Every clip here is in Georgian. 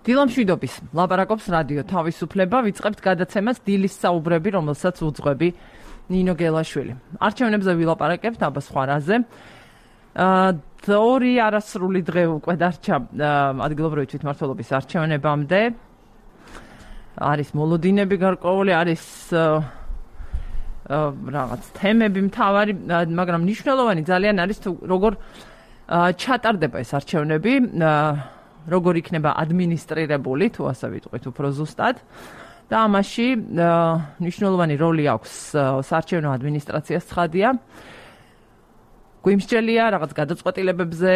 დილამშვიდობის ლაპარაკობს რადიო თავისუფლება, ვიწყებთ გადაცემას დილის საუბრები, რომელსაც უძღვები ნინო გელაშვილი. არჩევნებზე ვილაპარაკებთ აბა სხვა რაზე. ორი არასრული დღე უკვე დარჩა ადგილობრივი თვითმმართველობის არჩევნებამდე. არის მოლოდინები გარკვეული, არის რაღაც თემები მთავარი, მაგრამ მნიშვნელოვანი ძალიან არის თუ როგორ ჩატარდება ეს არჩევნები, როგორ იქნება ადმინისტრირებული, თუ ასე ვიტყვით უფრო ზუსტად. და ამაში მნიშვნელოვანი როლი აქვს საარჩევნო ადმინისტრაციას, ცხადია. გვიმსჯელია რაღაც გადაწყვეტილებებზე,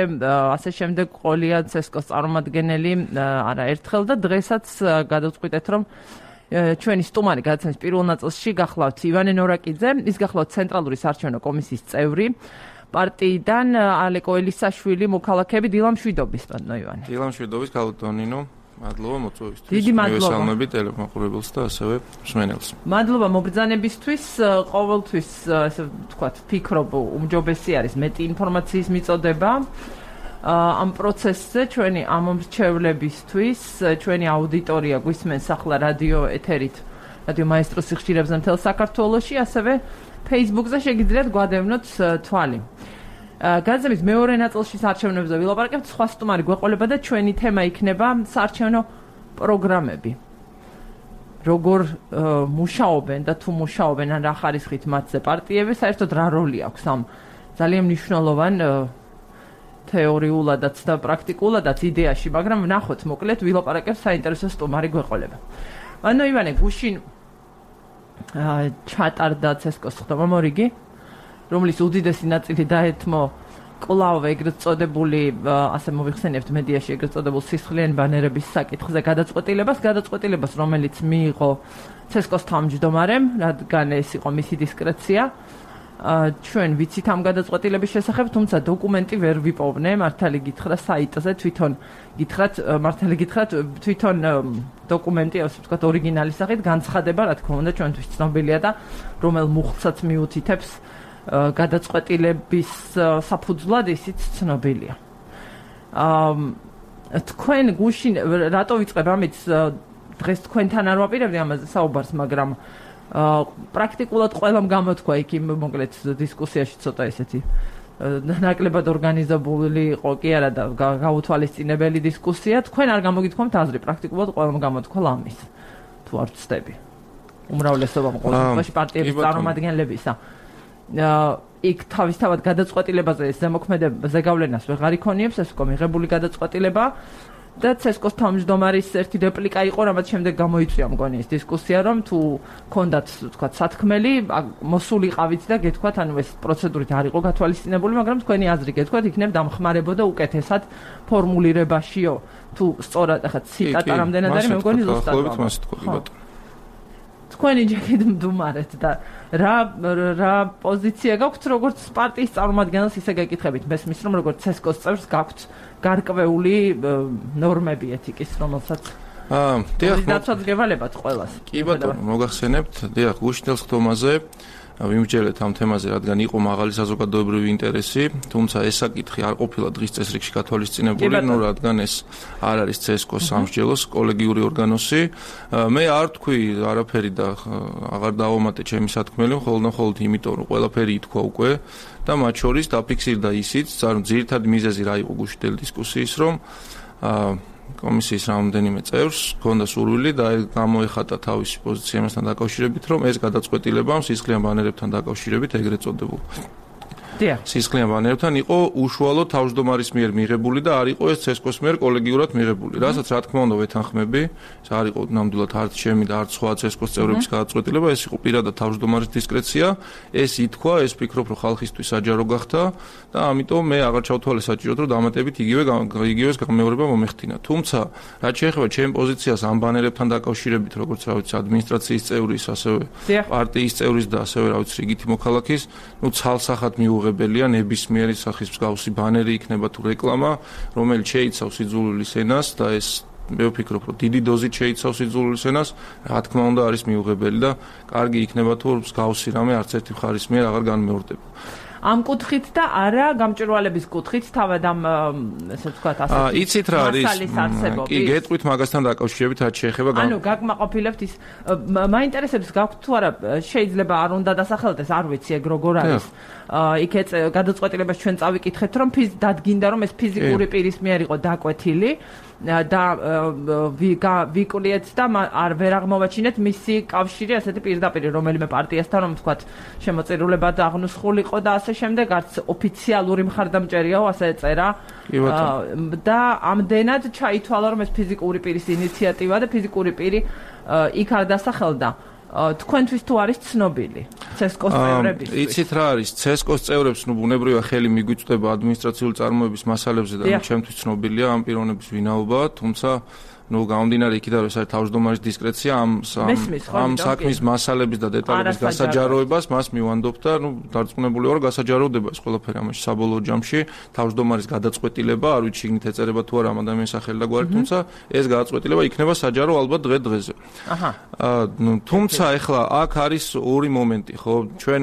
ასე შემდეგ ყოლია ცესკოს წარმომადგენელი არაერთხელ და დღესაც გადავწყვიტეთ, რომ ჩვენი სტუმარი გადაცემის პირველ ნაწილში გახლავთ ივანე ნორაკიძე, ის გახლავთ ცენტრალური საარჩევნო კომისიის წევრი. პარტიიდან ალეკო ელისაშვილი, მოქალაქეები, დილამშვიდობის, ბატონო ივანე. დილამშვიდობის, გალუტონინო. მადლობა მოწვევისთვის. დიდი მადლობა. მივესალმები ტელემოყურებელს და ასევე მსმენელს. მადლობა მობრძანებისთვის, ყოველთვის ასე ვთქვათ, ფიქრობ, უმჯობესი არის მეტი ინფორმაციის მიწოდება. ამ პროცესზე ჩვენი ამომრჩევლებისთვის, ჩვენი აუდიტორია გვისმენს ახლა რადიო ეთერით, რადიო მაესტროს სიხშირებზე მთელ საქართველოში, ასევე Facebook-ზე შეგიძლიათ გვადევნოთ თვალი. გადაცემის მეორე ნაწილში საარჩევნოებზე ვილაპარაკებთ, სხვა სტუმარი გვეყოლება და ჩვენი თემა იქნება საარჩევნო პროგრამები. როგორ მუშაობენ და თუ მუშაობენ ან რა ხარისხით მათზე პარტიები, საერთოდ რა როლი აქვს ამ ძალიან მნიშვნელოვან თეორიულადაც და პრაქტიკულადაც იდეაში, მაგრამ ვნახოთ მოკლედ ვილაპარაკებთ საინტერესო სტუმარი გვეყოლება. ანუ ივანე გუშინ ჩატარდა ცესკოს ხდომა მორიგი, რომლის უდიდესი ნაწილი დაეთმო კლავ ეგრეთ წოდებული, ასე მოვიხსენებთ მედიაში ეგრეთ წოდებულ სისხლიანი ბანერების საკითხზე გადაწყვეტილებას, რომელიც მიიღო ცესკოს თავმჯდომარემ, რადგან ეს იყო მისი დისკრეცია. ჩვენ ვიცით ამ გადაწყვეტილების შესახებ, თუმცა დოკუმენტი ვერ ვიპოვნე, მართალი გითხრა საიტზე, მართალი გითხრათ, თვითონ დოკუმენტი, ასე ვთქვათ, ორიგინალის სახით განცხადება, რა თქმა უნდა, ჩვენთვის ცნობილია და რომელ მუხტსაც მიუთითებს გადაწყვეტილების საფუძვლად ისიც ცნობილია. თქვენ გუშინ რატო ვიწყებ ამით, დღეს თქვენთან არ ვაპირებდი ამაზე საუბარს, მაგრამ პრაქტიკულად ყველამ გამოთქვა იქ იმ მოკლედ დისკუსიაში ცოტა ესეთი ნაკლებად ორგანიზებული იყო კი არა და გაუთვალისწინებელი დისკუსია. თქვენ არ გამოგითქვამთ აზრი, პრაქტიკულად ყველამ გამოთქვა ლამის. თუ არ ვცდები. უმრავლესობამ ყოველთვის პარტიების წარმომადგენლებისა. იქ თავისთავად გადაწყვეტილებაზე ეს ზემოქმედება ზეგავლენას ვეღარ იქონიებს, ეს უკვე მიღებული გადაწყვეტილება და ცესკოს თავმჯდომარის ერთი რეპლიკა იყო, რამაც შემდეგ გამოიწვია მგონი ეს დისკუსია, რომ თუ ქონდათ, ვთქვათ, სათქმელი, მოსულიყავით და გეთქვათ, ანუ ეს პროცედურით არ იყო გათვალისწინებული, მაგრამ თქვენი აზრი გეთქვათ, იქნებ დამხმარებოდა უკეთესად ფორმულირებაშიო, თუ სწორად ახლა ციტატა რამდენად არის, მე მგონი ზუსტად. თქვენი ჯერ მდუმარეთ და რა პოზიცია გაქვთ როგორც პარტიის წარმომადგენელს, ისე გეკითხებით მესმის, რომ როგორც ცესკოს წევრს გაქვთ გარკვეული ნორმები ეთიკის, რომელსაც დაცვადებალებად ყველას. კი ბატონო, მოგახსენებთ, დიახ, გუშინდელ ხდომაზე ვიმსჯელეთ ამ თემაზე, რადგან იყო მაღალი საზოგადოებრივი ინტერესი, თუმცა ეს საკითხი არ ყოფილა დღის წესრიგში გათვალისწინებული, რადგან ეს არ არის ცესკოს სამსჯელოს კოლეგიური ორგანოსი. მე არ თქვი არაფერი და აღარ დავამატე ჩემი სათქმელი, მხოლოდ იმიტომ, რომ ყველაფერი ითქვა უკვე და მათ შორის დაფიქსირდა ისიც, ძირითადი მიზეზი რა იყო გუშინდელი დისკუსიის, რომ კომისიის რამდენიმე წევრს ჰქონდა სურვილი და გამოეხატა თავისი პოზიცია იმასთან დაკავშირებით, რომ ეს გადაწყვეტილება სისხლიან ბანერებთან დაკავშირებით ეგრეთ წოდებულ სისხლიან ბანერებთან იყო უშუალოდ თავმჯდომარის მიერ მიღებული და არ იყო ეს ცესკოს მიერ კოლეგიურად მიღებული. რასაც რა თქმა უნდა ვეთანხმები, ეს არ იყო ნამდვილად არც ჩემი და არც სხვა ცესკოს წევრების გადაწყვეტილება, ეს იყო პირადად თავმჯდომარის დისკრეცია, ეს ითქვა, ეს ფიქრობ, რომ ხალხისთვის საჯარო გახდა და ამიტომ მე აღარ ჩავთვალე საჭიროდ, რომ დამატებით იგივეს გამეორება მომეხდინა. თუმცა, რაც შეეხება ჩემ პოზიციას ამ ბანერებთან დაკავშირებით, როგორც რა ვიცი, ადმინისტრაციის წევრის, ასევე პარტიის წევრის და ასევე რა ვიცი, რიგითი მოქალაქის, ცალსახად მიუღებელია ნებისმიერი სახის მსგავსი ბანერი იქნება თუ რეკლამა, რომელიც შეიცავს იძულვილის ენას და ეს მე ვფიქრობ, რომ დიდი დოზით შეიცავს იძულვილის ენას, რა თქმა უნდა არის მიუღებელი და კარგი იქნება თუ მსგავსი რამე არც ერთი მხარის მიერ აღარ განმეორდება. ამ კუთხით და არა გამჭვირვალების კუთხით თავად ამ ესე ვთქვათ ასეთი იცით რა არის კი გეტყვით მაგასთან დაკავშირებით რაც შეეხება ანუ გაკმაყოფილებთ ის მაინტერესებს გაქვთ თუ არა შეიძლება არ უნდა დასახელდეს არ ვიცი ეგ როგორ არის იქეთ გადაწყვეტილებას ჩვენ წავიკითხეთ რომ დადგინდა რომ ეს ფიზიკური პირის მიერ იყო დაკვეთილი და ვიკლიეთ და ვერ აღმოვაჩინეთ მისი კავშირი ასეთი პირდაპირ რომელიმე პარტიასთან რომ ვთქვათ შემოწირულებად აღნუსხულიყო და ასე შემდეგ არც ოფიციალური მხარდამჭერიაო ასე ეწერა და ამდენად ჩაითვალა რომ ეს ფიზიკური პირის ინიციატივა და ფიზიკური პირი იქ არ დასახელდა თქვენთვის თუ არის ცნობილი CESCO-s წევრებისთვის? იცით რა არის CESCO-s წევრებს ბუნებრივია ხელი მიგვიწვდება ადმინისტრაციული წარმოების მასალებზე და ჩემთვის ცნობილია ამ პიროვნების ვინაობა, თუმცა გამომდინარე იქიდან რომ ეს არის თავმჯდომარის დისკრეცია ამ საქმის მასალების და დეტალების გასაჯაროებას მას მივანდობ და დარწმუნებული ვარ გასაჯაროვდება ეს ყველაფერი ამაში საბოლოო ჯამში თავმჯდომარის გადაწყვეტილება არ ვიცი შიგნით ეწერება თუ არა ამ ადამიანის სახელი და გვარი თუმცა ეს გადაწყვეტილება იქნება საჯარო ალბათ დღე-დღეზე თუმცა ეხლა აქ არის ორი მომენტი ხო ჩვენ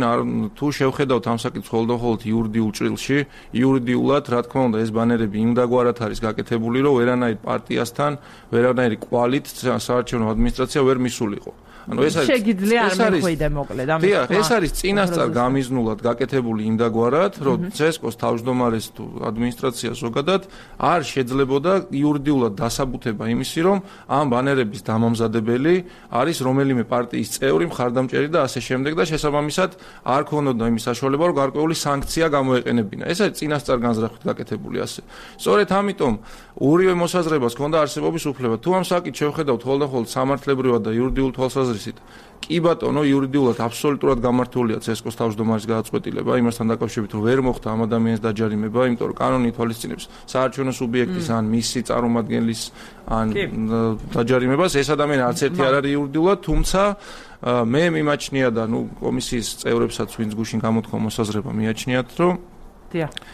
თუ შევხედავთ ამ საკითხს ხოლმე იურიდიულ ჭრილში იურიდიულად რა თქმა უნდა ეს ბანერები იმ დაგვარად არის გაკეთებული რომ ვერანაირ პარტიასთან ვერანაირი კვალით საარჩევნო ადმინისტრაცია ვერ მისულიყო. ანუ ეს არის შეგიძლია არ მეხვიდე მოკლედ ამის. დიახ, ეს არის წინასწარ გამიზნულად გაკეთებული იმდაგვარად, რომ CESCO-s თავმჯდომარეს თუ ადმინისტრაცია ზოგადად არ შეძლებოდა იურიდიულად დასაბუთება იმისი, რომ ამ ბანერების დამამზადებელი არის რომელიმე პარტიის წევრი, მხარდამჭერი და ასე შემდეგ და შესაბამისად არ ქონოდა იმის საშუალება, რომ გარკვეული სანქცია გამოეყენებინა. ეს არის წინასწარ განზრახვით გაკეთებული ასე. სწორედ ამიტომ ორივე მოსაზრებას ჰქონდა არსებობის უფლება. თუ ამ საკითხს შევხედავთ ხოლმე სამართლებრივად და იურიდიულ თვალსაზრისით კი ბატონო იურიდიულად აბსოლუტურად გამართულია CESCO-s თავმჯდომარის გადაწყვეტილება იმასთან დაკავშირებით რომ ვერ მოხდა ამ ადამიანის დაჯარიმება, იმიტომ რომ კანონი ითვალისწინებს საარჩევნო სუბიექტის ან მისი წარმომადგენლის ან დაჯარიმებას ეს ადამიანი არც ერთი არ არის იურიდიულად, თუმცა მე მიმაჩნია და კომისიის წევრებსაც ვინც გუშინ გამოთქვა მოსაზრება მიაჩნიათ რომ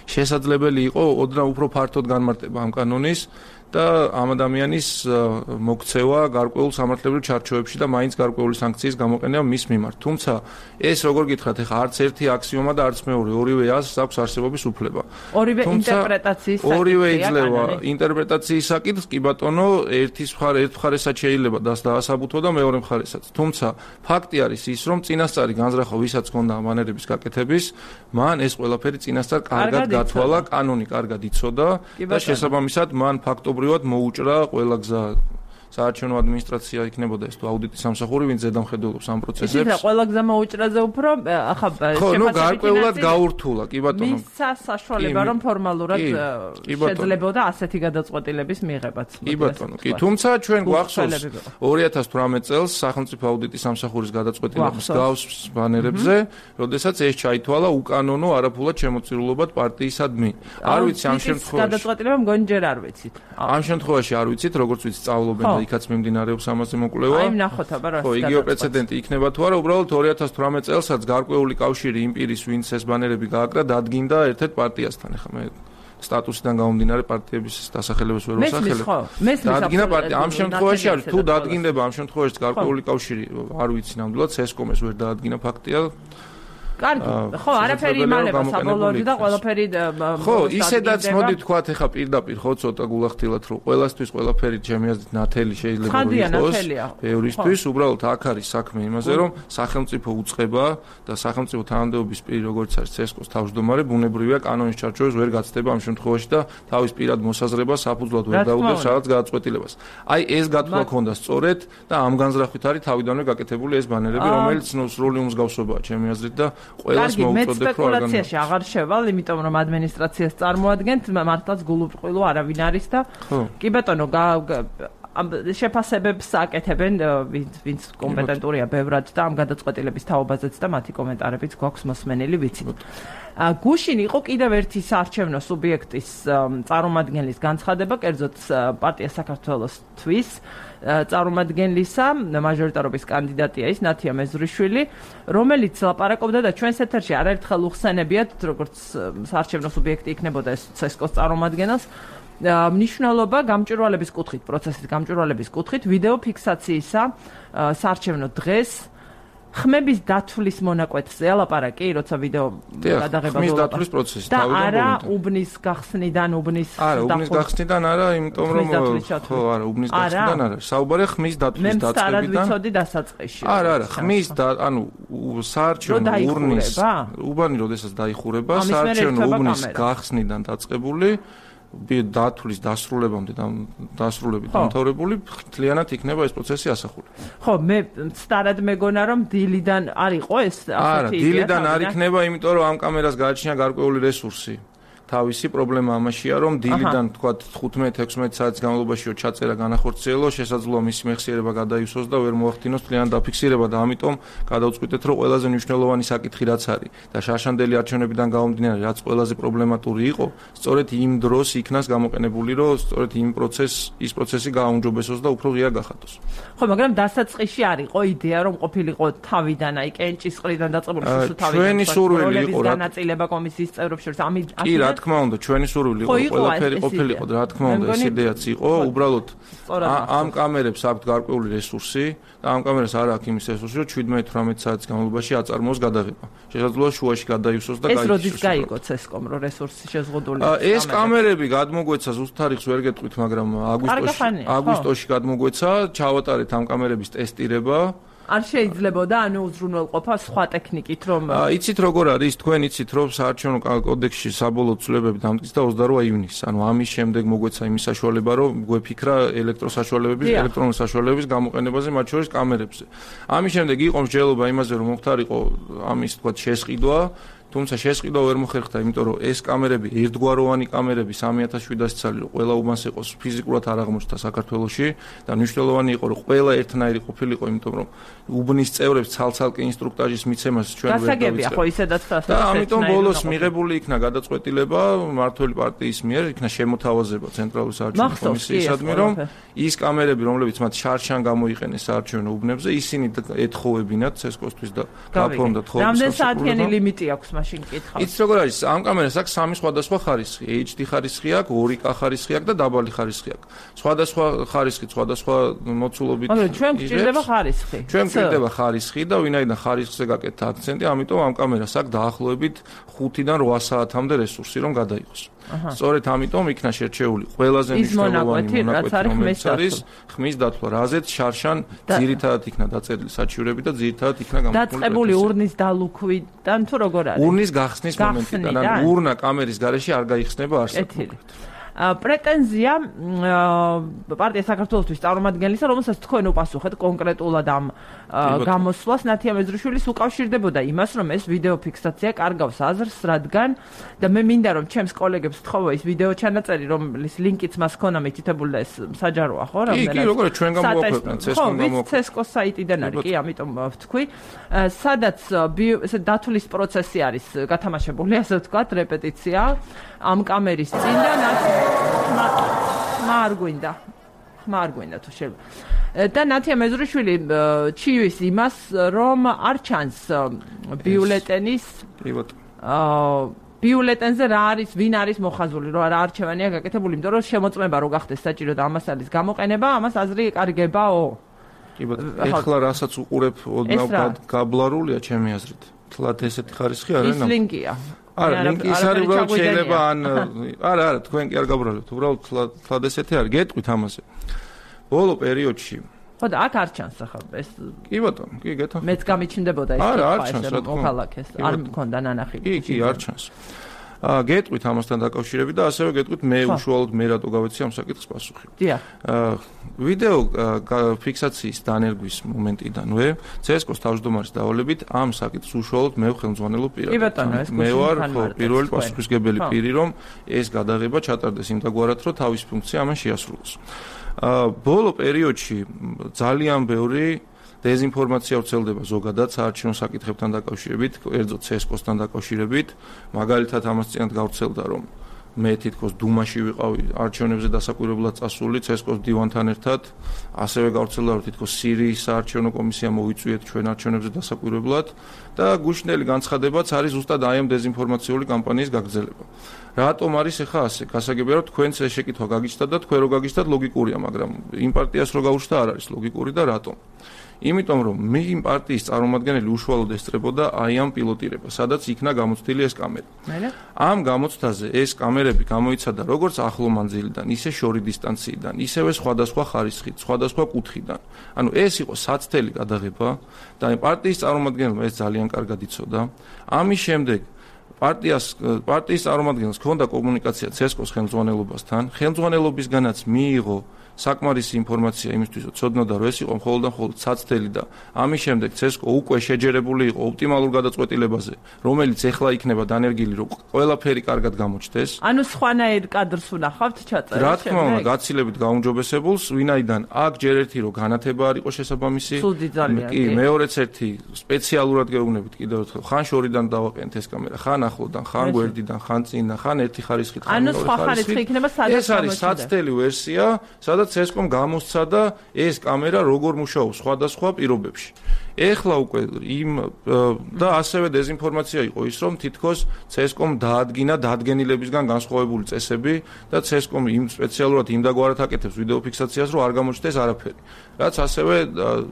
შესაძლებელი იყო ოდნავ უფრო ფართოდ განმარტება ამ კანონის და ამ ადამიანის მოქცევა გარკვეულ სამართლებრივ ჩარჩოებში და მაინც გარკვეული სანქციის გამოყენება მის მიმართ. თუმცა ეს როგორ გითხრათ, ეხლა არც ერთი აქსიომა და არც მეორე, ორივე აზრს აქვს არსებობის უფლება. ორივე ინტერპრეტაციის საკითხია. ორივე იძლევა ინტერპრეტაციის საკითხს, კი ბატონო, ერთ მხარესაც შეიძლება დაასაბუთო და მეორე მხარესაც. თუმცა ფაქტი არის ის, რომ წინასწარი განზრახვა ვისაც ჰქონდა ამ ბანერების გაკეთების, მან ეს ყველაფერი წინასწარ კარგად გათვალა, კანონი კარგად იცოდა და შესაბამისად მან ფაქტობრივად მოუჭრა ყველა გზა საარჩევნო ადმინისტრაცია იქნებოდა ეს თუ აუდიტის სამსახური ვინც ზედამხედველობს ამ პროცესებს. იცით რა ყველა გზა მოუჭრაზე უფრო ახლა გარკვეულად გაურთულა კი ბატონო. მისა საშუალება რომ ფორმალურად შეძლებოდა ასეთი გადაწყვეტილების მიღებაც. კი ბატონო, კი, თუმცა ჩვენ გვახსოვს 2018 წელს სახელმწიფო აუდიტის სამსახურის გადაწყვეტილება მსგავს ბანერებზე, როდესაც ეს ჩაითვალა უკანონო არაფულად შემოწირულობად პარტიისადმი. არ ვიცი ამ შემთხვევაში გადაწყვეტილება მგონი ჯერ არ ვიცით. ამ შემთხვევაში არ ვიცით, როგორც ვიცი სწავლობენ და იქაც მიმდინარეობს ამაზე მოკვლევა. აი ნახოთ აბა რა. ხო, იგივე პრეცედენტი იქნება თუ არა, უბრალოდ 2018 წელსაც გარკვეული კავშირი იმ პირის, ვინც ეს ბანერები გააკრა, დადგინდა ერთ-ერთ პარტიასთან. ეხლა მე სტატუსიდან გამომდინარე პარტიების დასახელებას ვერ ვსახელებ. დადგინდა პარტია. ამ შემთხვევაში არის თუ დადგინდება ამ შემთხვევაში გარკვეული კავშირი, არ ვიცი ნამდვილად, CESCO-s ვერ დაადგინა ფაქტია. კარგი, ხო, არაფერი იმალება საბოლოოდ და ყველაფერი ხო, ისედაც მოდი თქვათ ეხა პირდაპირ ხო ცოტა გულახდილად რომ ყველასთვის ყველაფერი ჩემი აზრით ნათელი შეიძლება იყოს. ბევრისთვის უბრალოდ აქ არის საქმე იმაზე რომ სახელმწიფო უწყება და სახელმწიფო თანამდებობის პირი როგორც არის CESCO-s თავმჯდომარე ბუნებრივია კანონის ჩარჩოებს ვერ გაცდება ამ შემთხვევაში და თავის პირად მოსაზრებას საფუძვლად ვერ დაუდევს რაღაც გადაწყვეტილებას. აი ეს გათვლა ქონდა სწორედ და ამ განზრახვით არის თავიდანვე გაკეთებული ეს ბანერები რომელიც სრული უმსგავსობაა ჩემი აზრით და ყველას მოუწოდებ რომ სპეკულაციაში აღარ შევალ, იმიტომ რომ ადმინისტრაციას წარმოადგენთ, მართლაც გულუბრყვილო არავინ არის და კი ბატონო, შეფასებებს აკეთებენ ვინც კომპეტენტურია ბევრად და ამ გადაწყვეტილების თაობაზეც და მათი კომენტარებიც გვაქვს მოსმენილი ვიცით. გუშინ იყო კიდევ ერთი საარჩევნო სუბიექტის წარმომადგენლის განცხადება, კერძოდ პარტია საქართველოსთვის წარმომადგენლისა, მაჟორიტარობის კანდიდატია ის ნათია მეზრიშვილი, რომელიც ლაპარაკობდა და ჩვენს ეთერში არაერთხელ უხსენებიათ, როგორც საარჩევნო სუბიექტი იქნებოდა ეს CESCO-s წარმომადგენელს, მნიშვნელობა გამჭვირვალების კუთხით, პროცესის გამჭვირვალების კუთხით, ვიდეო ფიქსაციისა საარჩევნო დღეს ხმების დათვლის მონაკვეთზე ლაპარაკი, როცა ვიდეო გადაღება ხმის დათვლის პროცესი და არა უბნის გახსნიდან უბნის არა უბნის გახსნიდან არა იმიტომ რომ ხო არა უბნის გახსნიდან არა საუბარია ხმის დათვლის დაწყებიდან მე ვიცოდი დასაწყისში არა ხმის ანუ საარჩევნო ურნის უბანი როდესაც დაიხურება საარჩევნო უბნის გახსნიდან დაწყებული დათვლის დასრულებამდე დასრულებით დამთავრებული მთლიანად იქნება ეს პროცესი ასახული. ხო, მე სწორად მეგონა რომ დილიდან არ იყო ეს ასეთი იდეა. არა, დილიდან არ იქნება, იმიტომ რომ ამ კამერას გააჩნია გარკვეული რესურსი. თავისი პრობლემა ამაშია, რომ დილიდან თქვა 15-16 საათის განმავლობაში ჩაწერა განახორციელო, შესაძლოა მისი მეხსიერება გადაივსოს და ვერ მოახდინოს მთლიანად დაფიქსირება და ამიტომ გადავწყვიტეთ, რომ ყველაზე მნიშვნელოვანი საკითხი რაც არის და შარშანდელი არჩევნებიდან გამომდინარე, რაც ყველაზე პრობლემატური იყო, სწორედ იმ დროს იქნას გამოყენებული, რომ სწორედ ის პროცესი გააუმჯობესოს და უფრო ღია გახადოს. ხო, მაგრამ დასაწყისში არ იყო იდეა, რომ ყოფილიყო თავიდან, აი კენჭის ყრიდან დაწყებული სულ თავიდან. ჩვენი სურვილი იყო რა განაწილება კომისიის წევრებს შორის ამით რა თქმა უნდა, ჩვენი სურვილი იყო ყველაფერი ყოფილიყო, რა თქმა უნდა, ეს იდეაც იყო, უბრალოდ ამ კამერებს აქვთ გარკვეული რესურსი და ამ კამერას არ აქვს იმის რესურსი, რომ 17-18 საათის განმავლობაში აწარმოოს გადაღება. შესაძლოა შუაში გადაივსოს და გაიქცეს. ეს როდის გაიგო CESCOM, რომ რესურსი შეზღუდული? ეს კამერები გადმოგვეცა ზუსტ თარიღს ვერ გეტყვით, მაგრამ აგვისტოში გადმოგვეცა, ჩავატარეთ ამ კამერების ტესტირება. არ შეიძლებოდა ანუ უზრუნველყოფა სხვა ტექნიკით რომ იცით როგორ არის თქვენ იცით რომ საარჩევნო კოდექსში საბოლოო ცვლილებები დამტკიცდა 28 ივნისს ანუ ამის შემდეგ მოგვეცა იმის საშუალება რომ გვეფიქრა ელექტრონული საშუალებების გამოყენებაზე მათ შორის კამერებზე ამის შემდეგ იყო მსჯელობა იმაზე რომ მოხდარიყო ამის თქვა შესყიდვა თუმცა შესყიდვა ვერ მოხერხდა იმიტომ რომ ეს კამერები ერთგვაროვანი კამერები 3700 ცალი რომ ყველა უბანს იყოს ფიზიკურად არ აღმოჩნდა საქართველოში და მნიშვნელოვანი იყო რომ ყველა ერთნაირი ყოფილიყო იმიტომ რომ უბნის წევრებს ცალ-ცალკე ინსტრუქტაჟის მიცემას ჩვენ ვერ დავიწყებია ხო ისედაც და ამიტომ ბოლოს მიღებული იქნა გადაწყვეტილება მმართველი პარტიის მიერ იქნა შემოთავაზება ცენტრალური საარჩევნო კომისიისადმი რომ ის კამერები რომლებიც მათ შარშან გამოიყენეს საარჩევნო უბნებზე ისინი ეთხოვებინათ CESCOM-თვის და გაფორმდა თხოვების რამდენი საათიანი ლიმიტი აქვს მაშინ კითხავს. იცით როგორ არის? ამ კამერას აქვს სამი სხვადასხვა ხარისხი. HD ხარისხი აქვს, 2K ხარისხი აქვს და დაბალი ხარისხი აქვს. სხვადასხვა ხარისხი, სხვადასხვა მოცულობით. მაგრამ ჩვენ გვჭირდება ხარისხი. ჩვენ გვჭირდება ხარისხი და ვინაიდან ხარისხზე გაკეთდა აქცენტი, ამიტომ ამ კამერას აქვს დაახლოებით 5-დან 8 საათამდე რესურსი რომ გადაიღოს. სწორედ ამიტომ იქნა შერჩეული ყველაზე მნიშვნელოვანი მონაკვეთი, რომელიც არის ხმის დათვლა, რაზეც შარშან ძირითადად იქნა დაწერილი საჩივრები და ძირითადად იქნა გამოყენებული. დაწყებული урნის დალუქვიდან თუ როგორ არის? урნის გახსნის მომენტიდან, ანუ урნა კამერის გარეშე არ გაიხსნება არსად. პრეტენზია პარტია საქართველოსთვის წარმომადგენლისა, რომელსაც თქვენ უპასუხეთ კონკრეტულად ამ გამოსვლას, ნათია მეზრიშვილის უკავშირდებოდა იმას, რომ ეს ვიდეო ფიქსაცია კარგავს აზრს, რადგან და მე მინდა რომ ჩემს კოლეგებს ვთხოვო ის ვიდეო ჩანაწერი, რომლის ლინკიც მას ჰქონდა მითითებული და ეს საჯაროა, ხო? კი, როგორ ჩვენ გამოვაქვეყნეთ CESCOM გამოვაქვეყნეთ. CESCOM საიტიდან არის, კი, ამიტომ ვთქვი. სადაც ესე დათვლის პროცესი არის გათამაშებული, ასე ვთქვათ, რეპეტიცია ამ კამერის წინ და არ გვინდა თუ შეიძლება და ნათია მეზრიშვილი ჩივის იმას რომ არ ჩანს ბიულეტენის ბიულეტენზე რა არის ვინ არის მოხაზული რომ რა არჩევანია გაკეთებული იმიტომ რომ შემოწმება რო გახდეს საჭირო და ამას არის გამოყენება ამას აზრი ეკარგებაო კი ბატონო ეხლა რასაც უყურებ ოდნავ გაბლარულია ჩემი აზრით თლათ ესეთი ხარისხი არ არის ის ლინკია არა, ლინკი ის არის, რომ შეიძლება არა, თქვენ კი არ გაბრალეთ, უბრალოდ თლად ესეთი არის, გეტყვით ამაზე. ბოლო პერიოდში. ხო და აქ არ ჩანს ახლა ეს. კი ბატონო, კი გეთანხმებით. მეც გამიჩნდებოდა ეს კითხვა, მოხალაკეს, არ მქონდა ნანახი. კი, არ ჩანს. გეტყვით ამასთან დაკავშირებით და ასევე გეტყვით მე უშუალოდ მე რატო გავეცი ამ საკითხს პასუხი. დიახ. ვიდეო ფიქსაციის დანერგვის მომენტიდანვე CESCOM-ის თავმჯდომარის დავალებით ამ საკითხს უშუალოდ მე ხელმძღვანელობ პირადად. მე ვარ პირველი პასუხისმგებელი პირი, რომ ეს გადაღება ჩატარდეს იმდაგვარად, რომ თავის ფუნქცია ამან შეასრულოს. ბოლო პერიოდში ძალიან ბევრი დეзинფორმაცია ვრცელდება ზოგადად საარჩევნო საკითხებთან დაკავშირებით, კერძოდ CESCOM-სთან დაკავშირებით, მაგალითად ამას წინათ გავრცელდა, რომ მე თითქოს დუმაში ვიყავი არჩევნებზე დასაკვირვებლად წასული CESCOM-ის დივანთან ერთად, ასევე გავრცელდა, რომ თითქოს სირიის საარჩევნო კომისია მოვიწვიეთ ჩვენ არჩევნებზე დასაკვირვებლად და გუშინდელი განცხადებაც არის ზუსტად აი ამ დეзинფორმაციული კამპანიის გაგრძელება. რატომ არის ახლა ასე? გასაგებია, რომ თქვენც ეს შეკითხვა გაგიჩნდათ და თქვენ რო გაგიჩნდათ ლოგიკურია, მაგრამ იმ პარტიას რო გაუჩნდა არ არის ლოგიკური და რატომ? იმიტომ რომ იმ პარტიის წარმომადგენელი უშუალოდ ესწრებოდა აი ამ პილოტირებას, სადაც იქნა გამოცდილი ეს კამერა. ამ გამოცდაზე ეს კამერები გამოიცადა როგორც ახლო მანძილიდან, ისე შორი დისტანციიდან, ისევე სხვადასხვა ხარისხით, სხვადასხვა კუთხიდან. ანუ ეს იყო საცდელი გადაღება და პარტიის წარმომადგენელმა ეს ძალიან კარგად იცოდა. ამის შემდეგ პარტიის წარმომადგენელს ჰქონდა კომუნიკაცია ცესკოს ხელმძღვანელობასთან, ხელმძღვანელობისგანაც მიიღო საკმარისი ინფორმაცია იმისთვის, რომ ცოდნოდა, რომ ეს იყო მხოლოდ და მხოლოდ საცდელი და ამის შემდეგ ცესკო უკვე შეჯერებული იყო ოპტიმალურ გადაწყვეტილებაზე, რომელიც ეხლა იქნება დანერგილი, რომ ყველაფერი კარგად გამოჩნდეს. ანუ სხვანაირ კადრს ვნახავთ ჩაწერილ. რა თქმა უნდა, გაცილებით გაუმჯობესებულს, ვინაიდან აქ ჯერ ერთი რომ განათება არ იყო შესაბამისი, კი, მეორეც ერთი სპეციალურად გეუბნებით კიდევ ერთხელ, ხან შორიდან დავაყენეთ ეს კამერა, ხან ახლოდან, ხან გვერდიდან, ხან წინიდან, ხან ერთი ხარისხით, ხან მეორე ხარისხით. ანუ სხვა ხარისხი იქნება სადაც ეს არის საცდელი ვერსია, სადაც ცესკომ გამოსცა და ეს კამერა როგორ მუშაობს სხვადასხვა პირობებში. ეხლა უკვე და ასევე დეზინფორმაცია იყო ის, რომ თითქოს ცესკომ დაადგინა დადგენილებისგან განსხვავებული წესები და ცესკომ სპეციალურად იმდაგვარად აკეთებს ვიდეო ფიქსაციას, რომ არ გამოჩნდეს არაფერი. რაც ასევე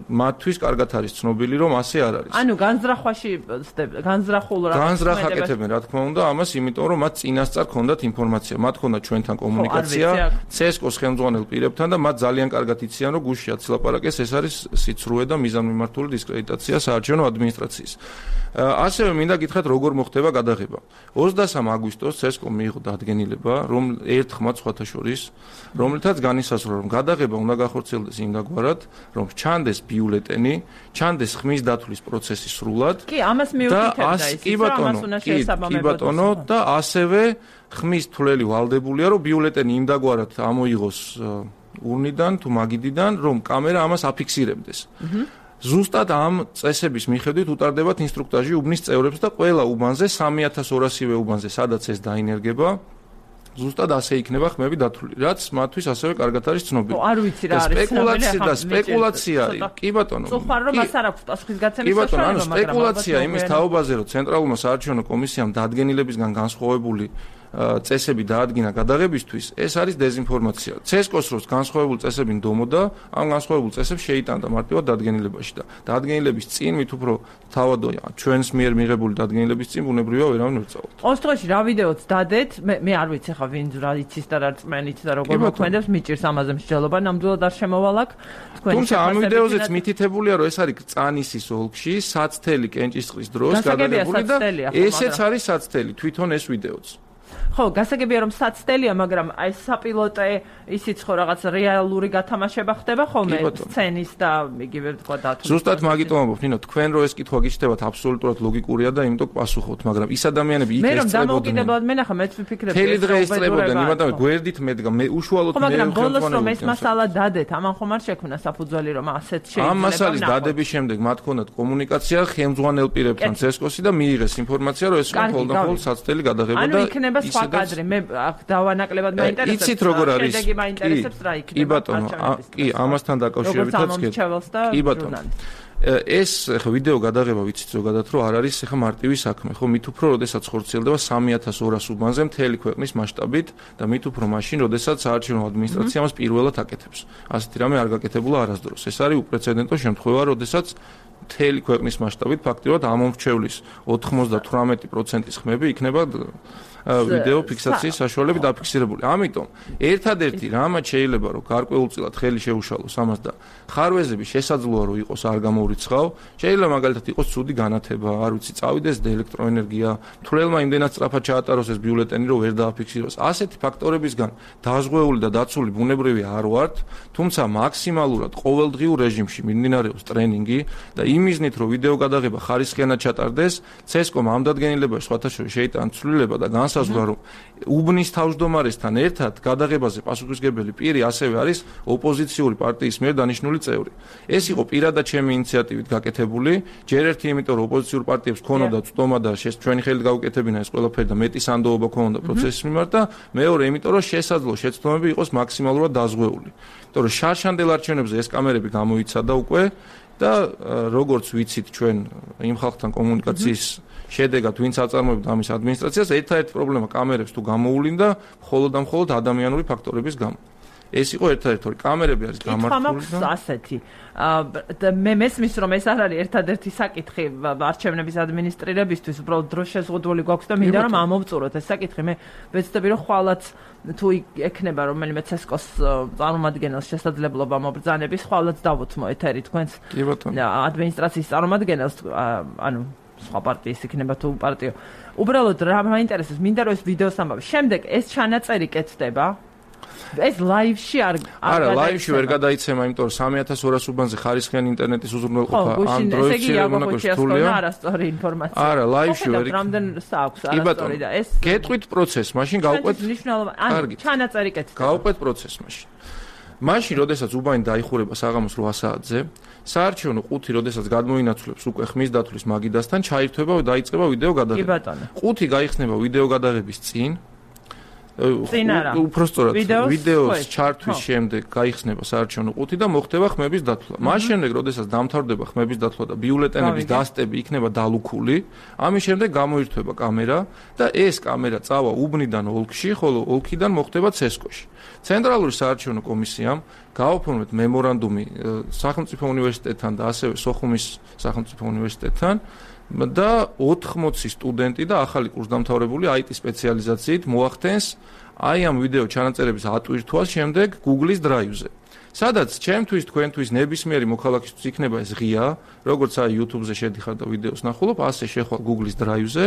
მათთვის კარგად არის ცნობილი, რომ ასე არ არის. ანუ განზრახულ აკეთებენ, რა თქმა უნდა, ამას, იმიტომ რომ მათ წინასწარ ჰქონდათ ინფორმაცია, მათ ჰქონდათ ჩვენთან კომუნიკაცია, ცესკოს ხელმძღვანელ პირებთან და მათ ძალიან კარგად იციან, რომ გუშინ აცილაპარაკეს, ეს არის სიცრუე და მიზანმიმართული დისკრედიტაცია საარჩევნო ადმინისტრაციის. ასევე მინდა გითხრათ, როგორ მოხდება გადაღება. 23 აგვისტოს ცესკომ მიიღო დადგენილება, რომ ერთ ხმად სხვათა შორის, რომლითაც განისაზღვრა, რომ გადაღება უნდა გახორციელდეს იმდაგვარად, რომ ჩანდეს ბიულეტენი, ჩანდეს ხმის დათვლის პროცესი სრულად. კი, ამას მიუთითებდა ის, რომ ამას უნდა შეესაბამებოდეს. და ასევე ხმის თვლელი ვალდებულია, რომ ბიულეტენი იმდაგვარად ამოიღოს ურნიდან თუ მაგიდიდან, რომ კამერა ამას აფიქსირებდეს. ზუსტად ამ წესების მიხედვით უტარდებათ ინსტრუქტაჟი უბნის წევრებს და ყველა უბანზე 3200-ვე უბანზე, სადაც ეს დაინერგება, ზუსტად ასე იქნება ხმები დათვლილი, რაც მათთვის ასევე კარგად არის ცნობილი. არ ვიცი რა არის სპეკულაცია, კი ბატონო. სწორ რომ მას არ აქვს პასუხისგაცემის საშუალება, მაგრამ სპეკულაცია იმის თაობაზე, რომ ცენტრალურმა საარჩევნო კომისიამ დადგენილებისგან განსხვავებული წესები დაადგინა გადაღებისთვის, ეს არის დეზინფორმაცია. ცესკოს როს განსხვავებული წესები ნდომოდა, ამ განსხვავებულ წესებს შეიტანდა მარტივად დადგენილებაში და დადგენილების წინ მით უფრო თავადია ჩვენს მიერ მიღებული დადგენილების წინ ბუნებრივია ვერავინ ვერ წავალთ. ყოველ შემთხვევაში რა ვიდეოც დადეთ, მე არ ვიცი ხა ვინ რა იცის და რა რწმენით და როგორ მოქმედებს, მიჭირს ამაზე მსჯელობა, ნამდვილად არ შემოვალაკ. თუმცა ამ ვიდეოზეც მითითებულია, რომ ეს არის წანისის ოლქში, საცდელი კენჭისყრის დროს გადაღებული და ესეც არის საცდელი, თვითონ ეს ვიდეოც. ხო, გასაგებია რომ საცდელია, მაგრამ აი საპილოტე ისიც ხო რაღაც რეალური გათამაშება ხდება ხოლმე სცენის და იგივე თქვა დათვლის. ზუსტად მაგიტომ ამბობ, ნინო, თქვენ რო ეს კითხვა გიჩნდებათ აბსოლუტურად ლოგიკურია და იმიტომ პასუხობთ, მაგრამ ის ადამიანები იქ ესწრებოდნენ. მე რომ დამოუკიდებლად მენახა, მეც ვიფიქრებ, თელი დღე ესწრებოდნენ, იმიტომ გვერდით მედგა, მე უშუალოდ მე მაგრამ ბოლოს რომ ეს მასალა დადეთ, ამან ხომ არ შექმნა საფუძველი რომ ასეთ შეიძლება. ამ მასალის დადების შემდეგ მათ ჰქონდათ კომუნიკაცია ხელმძღვანელ პირებთან ცესკოსი და მიიღეს ინფორმაცია, რომ ეს მხოლოდ საცდელი გადაღება და ანუ იქნება სხვა კადრი, მე დავანაკლებად მაინტერესებს. იცით როგორ არის? შედეგი მაინტერესებს რა იქნება. კი ბატონო, კი, ამასთან დაკავშირებითაც კი ბატონო. ეს ხა ვიდეო გადაღება ვიცით ზოგადად რომ არ არის ხა მარტივი საქმე, ხო, მით უფრო როდესაც ხორციელდება 3200 უბანზე მთელი ქვეყნის მასშტაბით და მით უფრო მაშინ როდესაც საარჩევნო ადმინისტრაცია მას პირველად აკეთებს. ასეთი რამე არ გაკეთებულა არასდროს. ეს არის უპრეცედენტო შემთხვევა, როდესაც მთელი ქვეყნის მასშტაბით ფაქტიურად ამომრჩევლის 98%-ის ხმები იქნება ვიდეო ფიქსაციის საშუალებით დაფიქსირებული. ამიტომ ერთადერთი რამაც შეიძლება რომ გარკვეულწილად ხელი შეუშალოს ამას და ხარვეზები შესაძლოა რომ იყოს არ გამოურიცხავ, შეიძლება მაგალითად იყოს ცუდი განათება, არ ვიცი, წავიდეს ელექტროენერგია, თვლელმა იმდენად სწრაფად ჩაატაროს ეს ბიულეტენი რომ ვერ დააფიქსიროს. ასეთი ფაქტორებისგან დაზღვეული და დაცული ბუნებრივი არ ვართ, თუმცა მაქსიმალურად ყოველდღიურ რეჟიმში მიმდინარეობს ტრენინგი და იმიზნით რომ ვიდეო გადაღება ხარისხიანად ჩატარდეს, ცესკომ ამ დადგენილებაში სხვათა შორის შეიტანა ცვლილება და განსაზღვრა რომ უბნის თავმჯდომარესთან ერთად გადაღებაზე პასუხისმგებელი პირი ასევე არის ოპოზიციური პარტიის მიერ დანიშნული წევრი. ეს იყო პირადად ჩემი ინიციატივით გაკეთებული, ჯერ ერთი იმიტომ რომ ოპოზიციურ პარტიებს ქონოდა წვდომა და ჩვენი ხელით გავუკეთებინა ეს ყველაფერი და მეტი სანდოობა ქონდა პროცესის მიმართ და მეორე იმიტომ რომ შესაძლოა შეცდომები იყოს მაქსიმალურად დაზღვეული. იმიტომ რომ შარშანდელ არჩევნებზე ეს კამერები გამოიცადა უკვე და როგორც ვიცით ჩვენ იმ ხალხთან კომუნიკაციის შედეგად ვინც აწარმოებდა ამის ადმინისტრაციას, ერთადერთი პრობლემა კამერებს თუ გამოუვლინდა მხოლოდ და მხოლოდ ადამიანური ფაქტორების გამო. ეს იყო ერთადერთი კამერები არის გამართული და ასეთი მე მესმის რომ ეს არ არის ერთადერთი საკითხი არჩევნების ადმინისტრირებისთვის უბრალოდ დრო შეზღუდული გვაქვს და მინდა რომ ამოვწუროთ ეს საკითხი მე ვეცდები რომ ხვალაც თუ ექნება რომელიმე ცესკოს წარმომადგენელს შესაძლებლობა მობრძანების ხვალაც დავუთმო ეთერი თქვენს ადმინისტრაციის წარმომადგენელს ანუ სხვა პარტიის იქნება თუ პარტიო უბრალოდ რა მაინტერესებს მინდა რომ ეს ვიდეოს ამბავი შემდეგ ეს ჩანაწერი კეთდება ეს ლაივში არა ლაივში ვერ გადაიცემა იმიტომ რომ 3200 უბანზე ხარისხიანი ინტერნეტის უზრუნველყოფა Android-ში რეგულარულია არასწორი ინფორმაცია არა ლაივში ვერ რამდენ აქვს არასწორი და ეს გეტყვით პროცესს მაშინ გავყვეთ ანუ ჩანაწერი კეთდება გავყვეთ პროცესს მაშინ როდესაც უბანი დაიხურება საღამოს 8 საათზე საარჩევნო ყუთი როდესაც გადმოინაცვლებს უკვე ხმის დათვლის მაგიდასთან ჩაირთვება და დაიწყება ვიდეო გადაღება ყუთი გაიხსნება ვიდეო გადაღების წინ უпростоრად ვიდეოს ჩართვის შემდეგ გაიხსნება საარჩევნო ყუთი და მოხდება ხმების დათვლა. მას შემდეგ, როდესაც დამთავრდება ხმების დათვლა და ბიულეტენების დასტები იქნება დალუქული, ამის შემდეგ გამოირთვება კამერა და ეს კამერა წავა უბნიდან ოლქში, ხოლო ოლქიდან მოხდება ცესკოში. ცენტრალური საარჩევნო კომისიამ გააფორმეთ მემორანდუმი სახელმწიფო უნივერსიტეტთან და ასევე სოხუმის სახელმწიფო უნივერსიტეტთან და 80 სტუდენტი და ახალი კურსდამთავრებული IT სპეციალიზაციით მოახდენს აი ამ ვიდეო ჩანაწერების ატვირთვას შემდეგ Google-ის დრაივზე. სადაც ჩემთვის თქვენთვის ნებისმიერი მოქალაქისთვის იქნება ეს ღია, როგორც აი YouTube-ზე შედიხარ და ვიდეოს ნახულობ, ასე შეხვალ Google-ის დრაივზე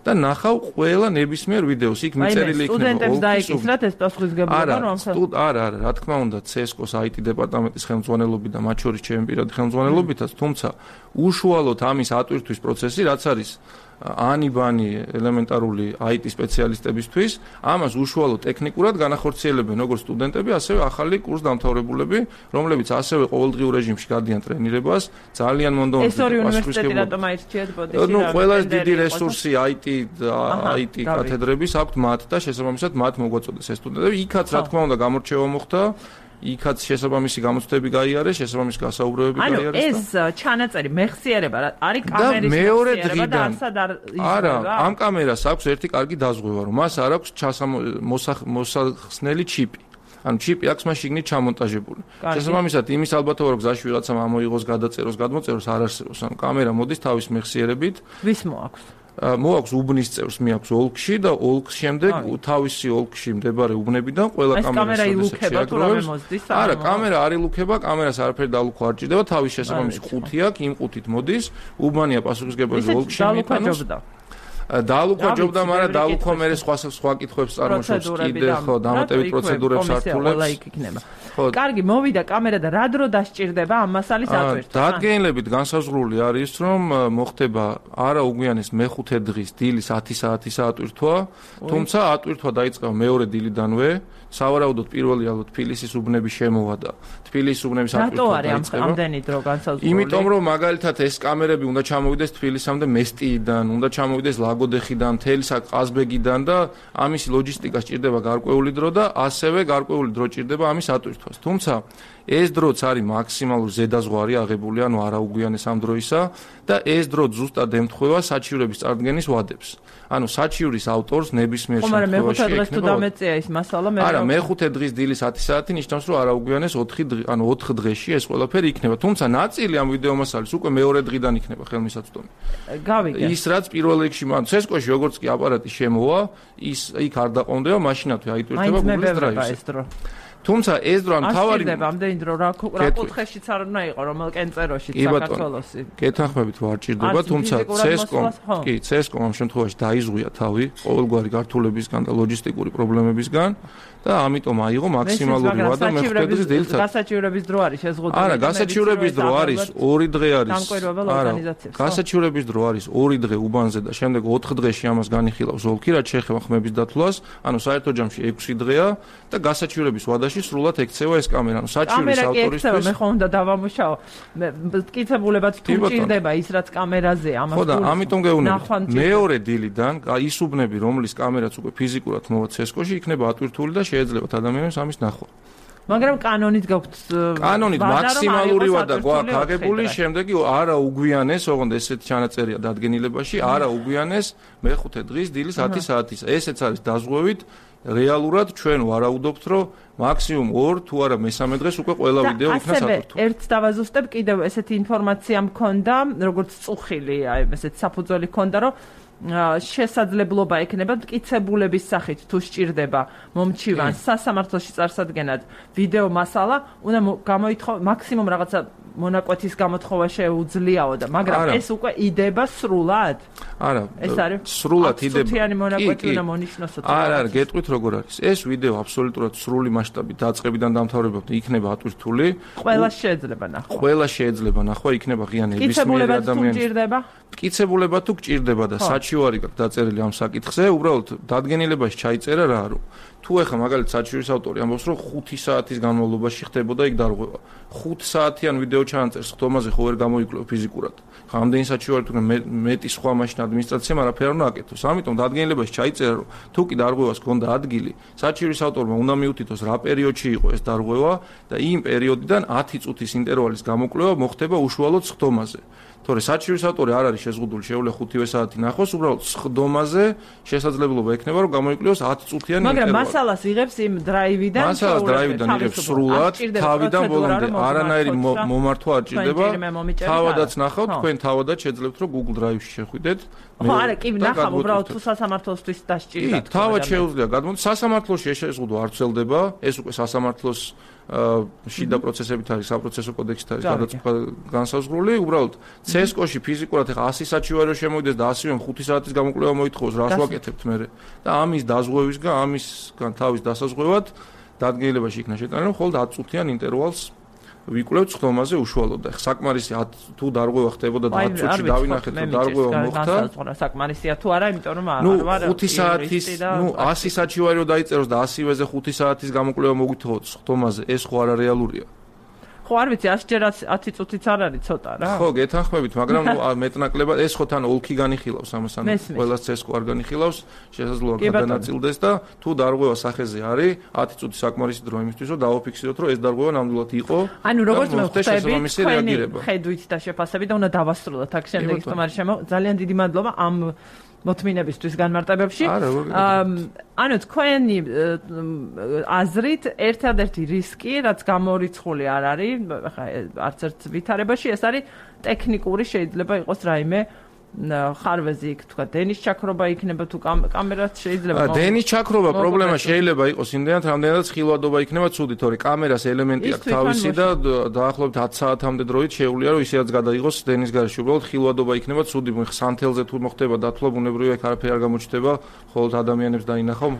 და ნახავ ყველა ნებისმიერ ვიდეოს იქ მიწერილი იქნება. სტუდენტებს დაეკისრათ ეს პასუხისმგებლობა რომ არა, რა თქმა უნდა, CSGO-ს IT დეპარტამენტის ხელმძღვანელობით და მათ შორის ჩემი პირადი ხელმძღვანელობითაც, თუმცა უშუალოდ ამის ატვირთვის პროცესი, რაც არის ანიბანი ელემენტარული IT სპეციალისტებისთვის, ამას უშუალოდ ტექნიკურად განახორციელებენ როგორც სტუდენტები, ასევე ახალი კურსდამთავრებულები, რომლებიც ასევე ყოველდღიურ რეჟიმში გადიან ტრენირებას, ძალიან მონდომებით ეს ორი უნივერსიტეტი რატომ აირჩიეთ ბოდიში? ნუ ყველაზე დიდი რესურსი IT კათედრების აქვთ მათ და შესაბამისად მათ მოგვაწოდეს ეს სტუდენტები. იქაც რა თქმა უნდა გამორჩევა მოხდა. იქაც შესაბამისი გამოცდები გაიარეს, შესაბამისი გასაუბრებები გაიარეს. ანუ ეს ჩანაწერი მეხსიერება არის კამერის მეხსიერება და არსად არ არა, ამ კამერას აქვს ერთი კარგი დაზღვევა, რომ მას არ აქვს მოსახსნელი ჩიპი. ანუ ჩიპი აქვს მას შიგნით ჩამონტაჟებული. შესაბამისად იმის ალბათობა რომ გზაში ვიღაცამ ამოიღოს გადაწეროს, გადმოწეროს არ არსებობს. ანუ კამერა მოდის თავის მეხსიერებით. ვის მოაქვს? მოაქვს უბნის წევრს მიაქვს ოლქში და ოლქს შემდეგ თავისი ოლქში მდებარე უბნებიდან ყველა კამერას შეგროვებს. არა, კამერა არ ილუქება, კამერას არაფერი დალუქვა არ ჭირდება, თავის შესაბამისი ყუთი აქვს, იმ ყუთით მოდის, უბანია პასუხისმგებელი ოლქში მიიტანოს. დალუქვა ჯობდა, მაგრამ დალუქვა მე სხვა კითხვებს წარმოშობს კიდე, ხო, დამატებით პროცედურებს ართულებს. კარგი, მოვიდა კამერა და რა დრო დასჭირდება ამ მასალის ატვირთვა? დადგენილებით განსაზღვრული არის, რომ მოხდება არა უგვიანეს მეხუთე დღის დილის 10 საათის ატვირთვა, თუმცა ატვირთვა დაიწყება მეორე დილიდანვე, სავარაუდოდ პირველი ალბათ თბილისის უბნების შემოვა და თბილისის უბნების ატვირთვა დაიწყება. ამდენი დრო განსაზღვრული? იმიტომ რომ მაგალითად ეს კამერები უნდა ჩამოვიდეს თბილისამდე მესტიიდან, უნდა ჩამოვიდეს ლაგოდეხიდან, მთელი ყაზბეგიდან და ამის ლოჯისტიკა სჭირდება გარკვეული დრო და ასევე გარკვეული დრო სჭირდება ამის ატვირთვას. თუმცა ეს დროც არის მაქსიმალური ზედაზღვარი აღებული, ანუ არაუგვიანეს ამ დროისა და ეს დრო ზუსტად ემთხვევა საჩივრების წარდგენის ვადებს. ანუ საჩივრის ავტორს ნებისმიერ შემთხვევაში ექნება. მეხუთე დღეს თუ დამეწია ის მასალა მე არა, მეხუთე დღის დილის 10 საათი ნიშნავს, რომ არაუგვიანეს 4 დღეში ეს ყველაფერი იქნება. თუმცა ნაწილი ამ ვიდეო მასალის უკვე მეორე დღიდან იქნება ხელმისაწვდომი. გავიგე. ის რაც პირველ რიგში, ანუ CSGO-ში როგორც კი აპარატი შემოვა, ის იქ არ დაყონდება, მაშინათვე აიტვირთება Google Drive-ზე. თუმცა ეს დრო თავარი ამდენი დრო რა კუთხეშიც არ უნდა იყო რომელ კენწეროში საქართველოსი. კეთახმებით ვარ ჭირდება, თუმცა CSGO ამ შემთხვევაში დაიზღვია თავი ყოველგვარი გართულებისგან და ლოჯისტიკური პრობლემებისგან და ამიტომ აიღო მაქსიმალური ვადა მეხუთე დღის დილით. გასაჩივრების დრო არის შეზღუდული. არა, გასაჩივრების დრო არის 2 დღე არის. არა, გასაჩივრების დრო არის 2 დღე უბანზე და შემდეგ 4 დღეში ამას განიხილავს ოლქი, რაც შეეხება ხმების დათვლას, ანუ საერთო ჯამში 6 დღეა და გასაჩივრების ვადაში სრულად ექცევა ეს კამერა. ანუ საჩივრის ავტორისთვის მე ხო უნდა დავამუშაო. მტკიცებულებად თუ ჭირდება ის რაც კამერაზე ამას. ხო და ამიტომ გეუბნები. მეორე დილიდან ის უბნები, რომლის კამერაც უკვე ფიზიკურად მოვა CSGO-ში, იქნება ატვირთული და შეეძლებათ ადამიანებს ამის ნახვა. მაგრამ კანონით გაქვთ კანონით მაქსიმალური ვადა გვაქვს აგებული, შემდეგი არა უგვიანეს, ოღონდ ესეთი ჩანაწერია დადგენილებაში, არა უგვიანეს მეხუთე დღის დილის 10 საათის. ესეც არის დაზღვევით რეალურად ჩვენ ვარაუდობთ, რომ მაქსიმუმ 2 თუ არა მესამე დღეს უკვე ყველა ვიდეო იქნა საკურთხეველი. ერთს დავაზუსტებ, კიდევ ესეთი ინფორმაცია მქონდა, როგორც წუხილი, აი ესეთი საფუძველი მქონდა, რომ შესაძლებლობა ექნება მტკიცებულების სახით თუ სჭირდება მომჩივანს სასამართლოში წარსადგენად ვიდეო მასალა, უნდა გამოითხოვოს მაქსიმუმ რაღაცა მონაკვეთის გამოთხოვა შეუძლიაო და მაგრამ ეს უკვე იდება სრულად? არა, ეს არის სრულად იდება. წუთიანი მონაკვეთი უნდა მონიშნოსო. არა, გეტყვით როგორ არის. ეს ვიდეო აბსოლუტურად სრული მასშტაბით დაწყებიდან დამთავრებამდე იქნება ატვირთული. ყველა შეიძლება ნახვა. ყველა შეიძლება ნახვა, იქნება ღია ნებისმიერი ადამიანის. მტკიცებულება თუ გჭირდება და საჩივარი გაქვს დაწერილი ამ საკითხზე, უბრალოდ დადგენილებაში ჩაიწერა რა არის. თუ ეხა მაგალითად საჩივრის ავტორი ამბობს, რომ 5 საათის განმავლობაში ხდებოდა იქ დარღვევა. 5 საათიან ვიდეო ჩაანწერს, ხდომაზე ხო ვერ გამოიკლო ფიზიკურად. რამდენი საჩივარი თუ მეტი სხვა მაშინ ადმინისტრაციამ არაფერ არ უნდა აკეთოს. ამიტომ დადგენილებაში ჩაიწერა, რომ თუ კი დარღვევას გქონდა ადგილი, საჩივრის ავტორმა უნდა მიუთითოს რა პერიოდში იყო ეს დარღვევა და იმ პერიოდიდან 10 წუთის ინტერვალის გამოკვლევა მოხდება უშუალოდ ხდომაზე. თორე საჩივრის ავტორი არ არის შეზღუდული, შეუძლია 5 საათი ნახოს, უბრალოდ ხდომაზე შესაძლებლობა ექნება, რომ გამოიკლევოს 10 წუთიანი ინტერვალი. მაგრამ მასალას იღებს იმ დრაივიდან, მასალას დრაივიდან იღებს სრულად, თავიდან ბოლომდე არანაირი მომართვა არ ჭირდება. თავადაც ნახავთ, თქვენ თავადაც შეძლებთ, რომ Google Drive-ში შეხვიდეთ. ხო, არა, კი ნახავ, უბრალოდ თუ სასამართლოსთვის დასჭირდა. კი, თავად შეუძლია გადმოდი. სასამართლოში ეს შეზღუდვა არ ვრცელდება, ეს უკვე სასამართლოს შიდა პროცესებით არის, საპროცესო კოდექსით არის გადაწყვეტა განსაზღვრული, უბრალოდ CSGO-ში ფიზიკურად ეხა 100 საჩივარო შემოვიდეს და 100-იან 5 საათის გამოკვლევა მოითხოვოს, რას ვაკეთებთ მე? და ამის დაზღვევისგან, ამისგან თავის დასაზღვევად დადგენილებაში იქნა შეტანა, რომ მხოლოდ 10 წუთიან ინტერვალს ვიკვლევთ ხდომაზე უშუალოდ და საკმარისი თუ დარღვევა ხდებოდა და 10 წუთში დავინახეთ რომ დარღვევა მოხდა. საკმარისია თუ არა, იმიტომ რომ არ ვარ 5 საათის, 100 საჩივარი რომ დაიწეროს და 100-ზე 5 საათის გამოკვლევა მოგვითხოვოთ ხდომაზე, ეს ხო არა რეალურია. ხო არ ვიცი 100 ჯერ 10 წუთიც არ არის ცოტა რა. ხო, გეთანხმებით, მაგრამ მეტნაკლებად ეს ხო თან ოლქი განიხილავს ამას, ანუ ყველა CSGO არ განიხილავს, შესაძლოა გადანაწილდეს და თუ დარღვევა სახეზე არის, 10 წუთი საკმარისი დრო იმისთვის, რომ დავაფიქსიროთ, რომ ეს დარღვევა ნამდვილად იყო. ანუ როგორც მე ხვდები, ხედვით და შეფასებით და უნდა დავასრულოთ აქ შემდეგ სტუმარი ძალიან დიდი მადლობა ამ მოთმინებისთვის განმარტებებში. ანუ თქვენი აზრით ერთადერთი რისკი, რაც გამორიცხული არ არის, ხა არც ერთ ვითარებაში, ეს არის ტექნიკური, შეიძლება იყოს რაიმე ხარვეზი იქ თქვა დენის ჩაქრობა იქნება თუ კამერაც შეიძლება დენის ჩაქრობა პრობლემა შეიძლება იყოს იმდენად რამდენადაც ხილვადობა იქნება ცუდი, თორე კამერას ელემენტი აქვს თავისი და დაახლოებით 10 საათამდე დროით შეუძლია რომ ისედაც გადაიღოს დენის გარეშე, უბრალოდ ხილვადობა იქნება ცუდი, სანთელზე თუ მოხდება დათვლა ბუნებრივია იქ არაფერი არ გამოჩნდება, ხოლოდ ადამიანებს დაინახავ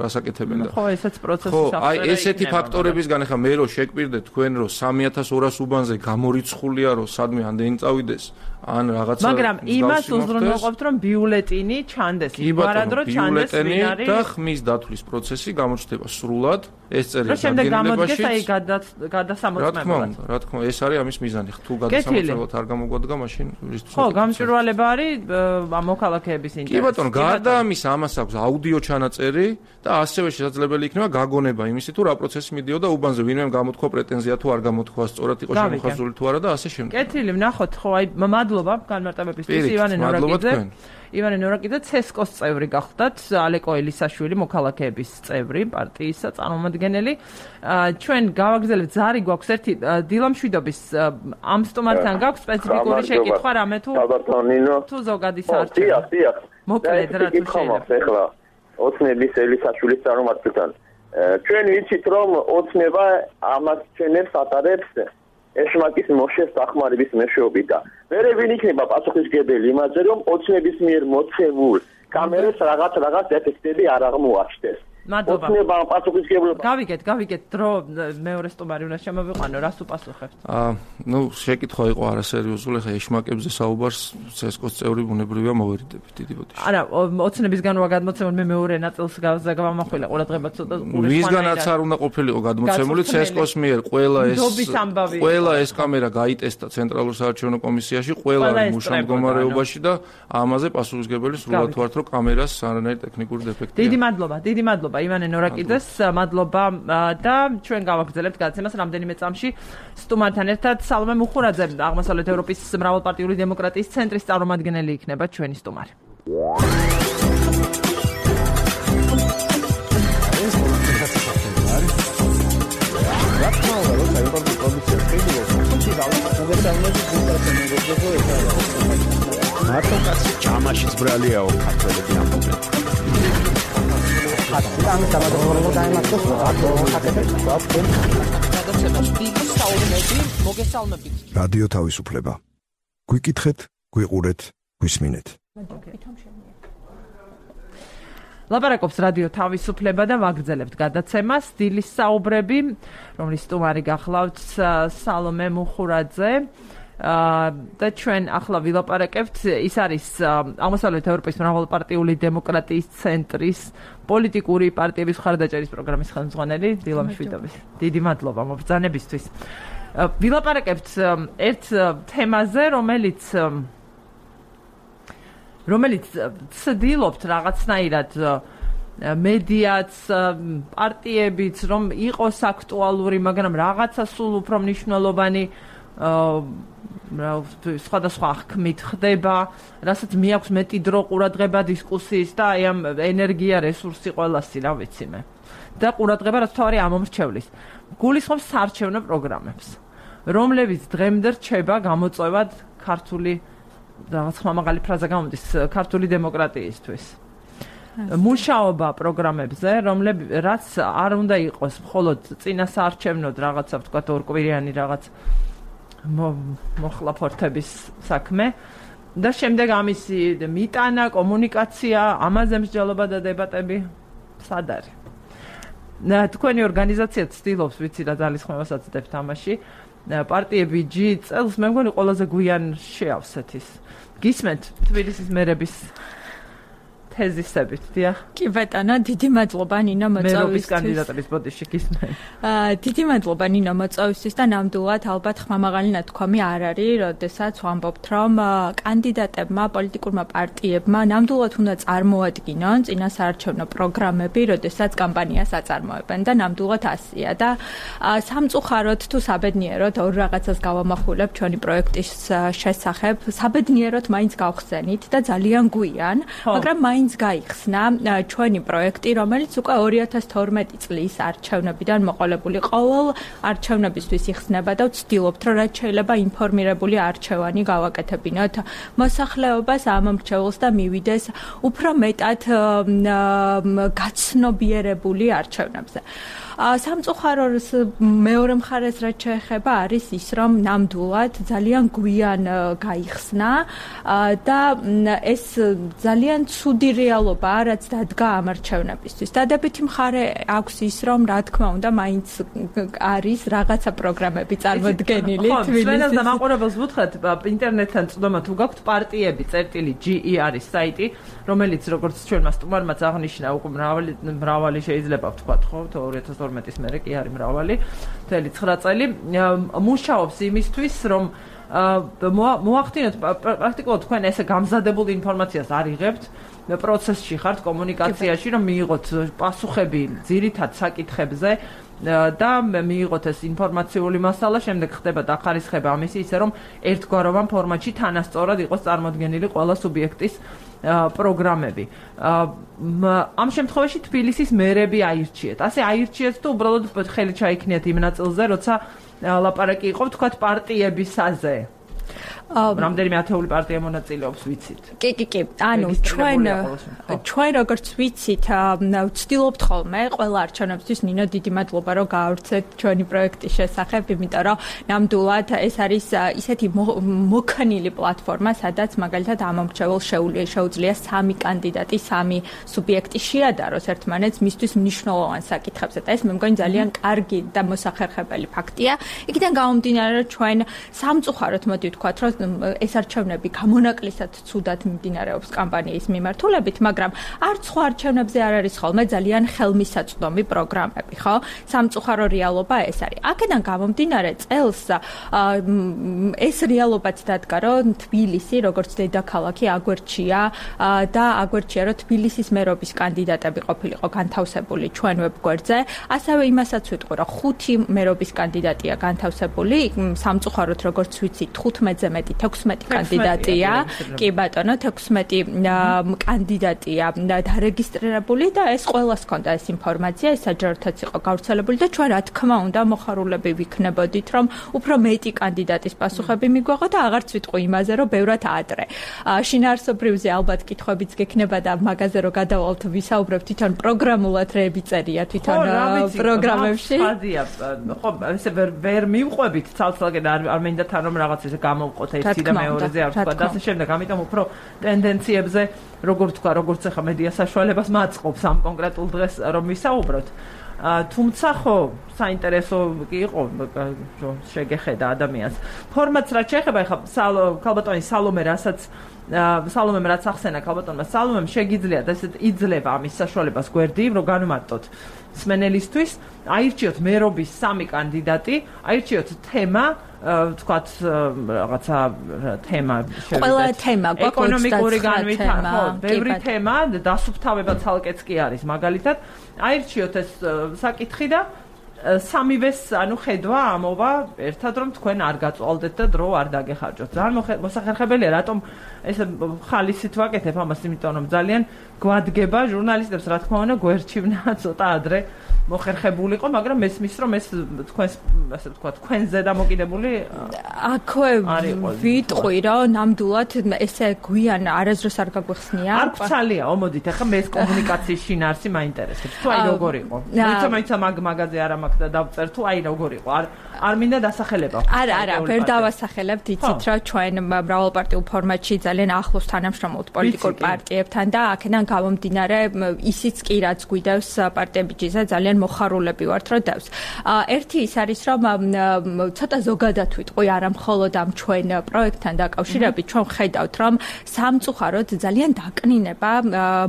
რას აკეთებენ და ხო ესეც პროცესი ხო აი ესეთი ფაქტორებისგან ახლა მე რო შეკვირდეთ თქვენ რომ 3200 უბანზე გამორიცხულია რომ სადმე ამდენი წავიდეს ან რაღაცა მაგრამ იმას უზრუნველყოფთ რომ ბიულეტინი ჩანდეს ვარადრო ჩანდეს ვინ არის და ხმის დათვლის პროცესი გამოჩნდება სრულად ეს წერია დადგენილებაში აი გადასამოწმებლად რა თქმა უნდა ეს არის ამის მიზანი თუ გადასამოწმებლად არ გამოგვადგა მაშინ რისთვის ხო გამჭვირვალება არის მოქალაქეების ინტერესი კი ბატონო გარდა ამის ამას აქვს აუდიო ჩანაწერი და ასევე შესაძლებელი იქნება გაგონება იმისი თუ რა პროცესი მიდიოდა უბანზე ვინმე გამოთქვა პრეტენზია თუ არ გამოთქვა სწორად იყო შემოხაზული თუ არა და ასე შემდეგ კეთილი ვნახოთ ხო აი მადლობა განმარტებებისთვის ივანე ნორაკიძე CSGO-ს წევრი გახდათ ალეკო ელისაშვილი მოქალაქეების წევრი პარტიისა წარმომადგენელი ჩვენ გავაგრძელებთ ზარი გვაქვს ერთი დილამშვიდობის ამ სტუმართან გაქვს სპეციფიკური შეკითხვა რამე თუ ზოგადი საარჩევნო მოკლედ რა თუ შეიძლება ოცნების ელისაშვილის წარმომადგენელთან ჩვენ ვიცით რომ ოცნება ამას ჩვენებს ატარებს ეშმაკის მოშეს დახმარების მეშვეობით და მერე ვინ იქნება პასუხისმგებელი იმაზე რომ ოცნების მიერ მოცემულ კამერებს რაღაც ეფექტები არ აღმოაჩნდეს მადლობა ოცნება პასუხისმგებლობა გავიგეთ დრო მეორე სტუმარი უნდა შემოვიყვანო რას უპასუხებთ ნუ შეკითხვა იყო არასერიოზული ხა ეშმაკებზე საუბარს CSGO-ს წევრი ბუნებრივია მოვერიდებით დიდი ბოდიში არა ოცნებისგან რა გადმოცემული მე მეორე ნაწილს გავამახვილა ყურადღება ცოტა ყურეს ვისგანაც არ უნდა ყოფილიყო გადმოცემული CSGO-ს მიერ ყველა ეს კამერა გაიტესტა ცენტრალურ საარჩევნო კომისიაში ყველა მუშა მდგომარეობაში და ამაზე პასუხისმგებელი სრულად ვართ რომ კამერას არანაირი ტექნიკური დეფექტი დიდი მადლობა ივანე ნორაკიძეს მადლობა და ჩვენ გავაგრძელებთ გადაცემას რამდენიმე წამში სტუმართან ერთად სალომე მუხურაძე აღმოსავლეთ ევროპის მრავალპარტიული დემოკრატიის ცენტრის წარმომადგენელი იქნება ჩვენი სტუმარი მარტო კაცი ჯამაშიც ბრალიაო ქართველები ამბობენ. რადიო თავისუფლება. გვიკითხეთ, გვიყურეთ, გვისმინეთ. ლაპარაკობს რადიო თავისუფლება და ვაგრძელებთ გადაცემას დილის საუბრები, რომლის სტუმარი გახლავთ სალომე მუხურაძე. და ჩვენ ახლა ვილაპარაკებთ, ის არის აღმოსავლეთ ევროპის მრავალპარტიული დემოკრატიის ცენტრის პოლიტიკური პარტიების მხარდაჭერის პროგრამის ხელმძღვანელი დილა მშვიდობის. დიდი მადლობა მობრძანებისთვის. ვილაპარაკებთ ერთ თემაზე, რომელიც ცდილობთ რაღაცნაირად მედიაც, პარტიებიც, რომ იყოს აქტუალური, მაგრამ რაღაცა სულ უფრო მნიშვნელოვანი სხვადასხვა აღქმით ხდება, რასაც მიაქვს მეტი დრო ყურადღება დისკუსიის და აი ამ ენერგია რესურსი ყველასი, რა ვიცი მე. და ყურადღება რაც თავარი ამომრჩევლის. გულისხმობს საარჩევნო პროგრამებს, რომლებიც დღემდე რჩება გამოწვევად ქართული რაღაც ხმამაღალი ფრაზა გამოდის ქართული დემოკრატიისთვის. მუშაობა პროგრამებზე, რაც არ უნდა იყოს მხოლოდ წინა საარჩევნოდ რაღაცა ვთქვათ ორკვირიანი რაღაც მოხლაფორთების საქმე და შემდეგ ამისი მიტანა, კომუნიკაცია, ამაზე მსჯელობა და დებატები სად არის? თქვენი ორგანიზაცია ცდილობს, ვიცი რა ძალისხმევასაც დებთ ამაში. პარტიები G წელს მე მგონი ყველაზე გვიან შეავსეთ ის. გისმენთ თბილისის მერების თეზისებით, დიახ? კი ბატონო, დიდი მადლობა ნინო მოწვევისთვის. მერობის კანდიდატების ბოდიში გისმენ. დიდი მადლობა ნინო მოწვევისთვის და ნამდვილად ალბათ ხმამაღალი ნათქვამი არ არის, როდესაც ვამბობთ, რომ კანდიდატებმა, პოლიტიკურმა პარტიებმა ნამდვილად უნდა წარმოადგინონ წინასაარჩევნო პროგრამები, როდესაც კამპანიას აწარმოებენ და ნამდვილად ასია და სამწუხაროდ თუ საბედნიეროდ ორ რაღაცას გავამახვილებ ჩვენი პროექტის შესახებ, საბედნიეროდ მაინც გავხსენით და ძალიან გვიან, მაგრამ მაინც გაიხსნა ჩვენი პროექტი, რომელიც უკვე 2012 წლის არჩევნებიდან მოყოლებული ყოველ არჩევნებისთვის იხსნება და ვცდილობთ, რომ რაც შეიძლება ინფორმირებული არჩევანი გავაკეთებინოთ მოსახლეობას, ამომრჩეველს და მივიდეს უფრო მეტად გაცნობიერებული არჩევნებზე. სამწუხაროდ მეორე მხარეს რაც შეეხება არის ის, რომ ნამდვილად ძალიან გვიან გაიხსნა და ეს ძალიან ცუდი რეალობაა, რაც დადგა ამ არჩევნებისთვის. დადებითი მხარე აქვს ის, რომ რა თქმა უნდა, მაინც არის რაღაცა პროგრამები წარმოდგენილი თბილისის. ჩვენს დამაყურებელს ვუთხრათ, ინტერნეტთან წვდომა თუ გაქვთ პარტიები წერტილი.ge არის საიტი, რომელიც როგორც ჩვენმა სტუმარმაც აღნიშნა, უკვე მრავალი შეიძლება ვთქვათ, ხო, 2012-ის მერე კი არის მრავალი, 9 წელი მუშაობს იმისთვის, რომ მოახდინოთ პრაქტიკულად თქვენ ესე გამზადებული ინფორმაციას არ იღებთ პროცესში ხართ კომუნიკაციაში, რომ მიიღოთ პასუხები ძირითად საკითხებზე და მიიღოთ ეს ინფორმაციული მასალა, შემდეგ ხდება დახარისხება ამისი, ისე რომ ერთგვაროვან ფორმატში თანასწორად იყოს წარმოდგენილი ყველა სუბიექტის პროგრამები. ამ შემთხვევაში თბილისის მერები აირჩიეთ. ასე აირჩიეთ თუ უბრალოდ ხელი ჩაიქნიათ იმ ნაწილზე, როცა ლაპარაკი იყო, ვთქვათ, პარტიებისაზე. რამდენიმე ათეული პარტია მონაწილეობს, ვიცით? კი. ანუ ჩვენ როგორც ვიცით, ვცდილობთ ხოლმე ყველა არჩევნებისთვის ნინო დიდი მადლობა, რომ გაავრცეთ ჩვენი პროექტის შესახებ, იმიტომ რომ ნამდვილად ეს არის ისეთი მოქნილი პლატფორმა, სადაც მაგალითად ამომრჩეველს შეუძლია 3 კანდიდატი, 3 სუბიექტი შეადაროს ერთმანეთს მისთვის მნიშვნელოვან საკითხებზე და ეს მე მგონი ძალიან კარგი და მოსახერხებელი ფაქტია. იქიდან გამომდინარე, რომ ჩვენ სამწუხაროდ მოდი ვთქვათ, რომ ეს არჩევნები გამონაკლისად ცუდად მიმდინარეობს კამპანიის მიმართულებით, მაგრამ არც სხვა არჩევნებზე არ არის ხოლმე ძალიან ხელმისაწვდომი პროგრამები, ხო? სამწუხარო რეალობა ეს არის. აქედან გამომდინარე წელს ეს რეალობაც დადგა, რომ თბილისი, როგორც დედაქალაქი, აგვერჩია და აგვერჩია, რომ თბილისის მერობის კანდიდატები ყოფილიყო განთავსებული ჩვენ ვებგვერდზე. ასევე იმასაც ვიტყვი, რომ 5 მერობის კანდიდატია განთავსებული, სამწუხაროდ როგორც ვიცით, 15 15-ზე მეტი 16 კანდიდატია. კი ბატონო, 16 კანდიდატია დარეგისტრირებული და ეს ყველას ჰქონდა ეს ინფორმაცია, ეს საჯაროთაც იყო გავრცელებული და ჩვენ რა თქმა უნდა მოხარულები ვიქნებოდით, რომ უფრო მეტი კანდიდატის პასუხები მიგვეღო და აღარც ვიტყვი იმაზე, რომ ბევრად ადრე. შინაარსობრივზე ალბათ კითხვებიც გექნება და მაგაზე რომ გადავალთ ვისაუბრებთ თვითონ პროგრამულად რეები წერია თვითონ პროგრამებში. ხო, ესე ვერ მივყვებით ცალ-ცალკე და არ მინდა თან რომ რაღაც ესე გამოვყოთ ერთი და მეორეზე არ ვთქვა და ასე შემდეგ, ამიტომ უფრო ტენდენციებზე როგორ თქვა, როგორც ახლა მედია საშუალებას მაწყობს ამ კონკრეტულ დღეს რომ ვისაუბროთ. თუმცა ხო, საინტერესო იყო შეგეხედა ადამიანს. ფორმატს რაც შეეხება ახლა ქალბატონი სალომე სალომემ რაც ახსენა ქალბატონმა სალომემ შეგიძლიათ ესეთ იძლევა ამის საშუალებას გვერდივ რომ განვარტოთ სმენელისთვის, აირჩიოთ მერობის 3 კანდიდატი, აირჩიოთ თემა, თქვათ რაღაცა თემა შევიდეთ. ყველა თემა გვაქვს ეკონომიკური განვითარება, ხო, ბევრი თემა, დასუფთავება ცალკეც კი არის მაგალითად. აირჩიოთ ეს საკითხი და სამივეს ანუ ხედვა ამოვა ერთად რომ თქვენ არ გაწვალდეთ და დრო არ დაგეხარჯოთ. ძალიან მოსახერხებელია რატომ ესე ხალისით ვაკეთებ ამას, იმიტომ რომ ძალიან გვადგება ჟურნალისტებს რა თქმა უნდა გვერჩივნა ცოტა ადრე მოხერხებულიყო, მაგრამ მესმის რომ ეს თქვენს ასე ვთქვათ თქვენზე დამოკიდებული აქვე ვიტყვი რომ ნამდვილად ესე გვიან არასდროს არ გაგვეხსნია. არ გცალია, მოდით ახლა მე ეს კომუნიკაციის შინაარსი მაინტერესებს. თუ აი როგორ იყო. მოიცა მაგაზე არ მაქვს და დავწერ თუ აი როგორ იყო. არ მინდა დასახელება. არა, ვერ დავასახელებთ, იცით რა ჩვენ მრავალპარტიულ ფორმატში ძალიან ახლოს თანამშრომლობთ პოლიტიკურ პარტიებთან და აქედან გამომდინარე ისიც კი რაც გვიდევს პარტიებიჯიზე ძალიან მოხარულები ვართ რომ დევს. ერთი ის არის რომ ცოტა ზოგადად ვიტყვი არა მხოლოდ ამ ჩვენ პროექტთან დაკავშირებით ჩვენ ხედავთ რომ სამწუხაროდ ძალიან დაკნინება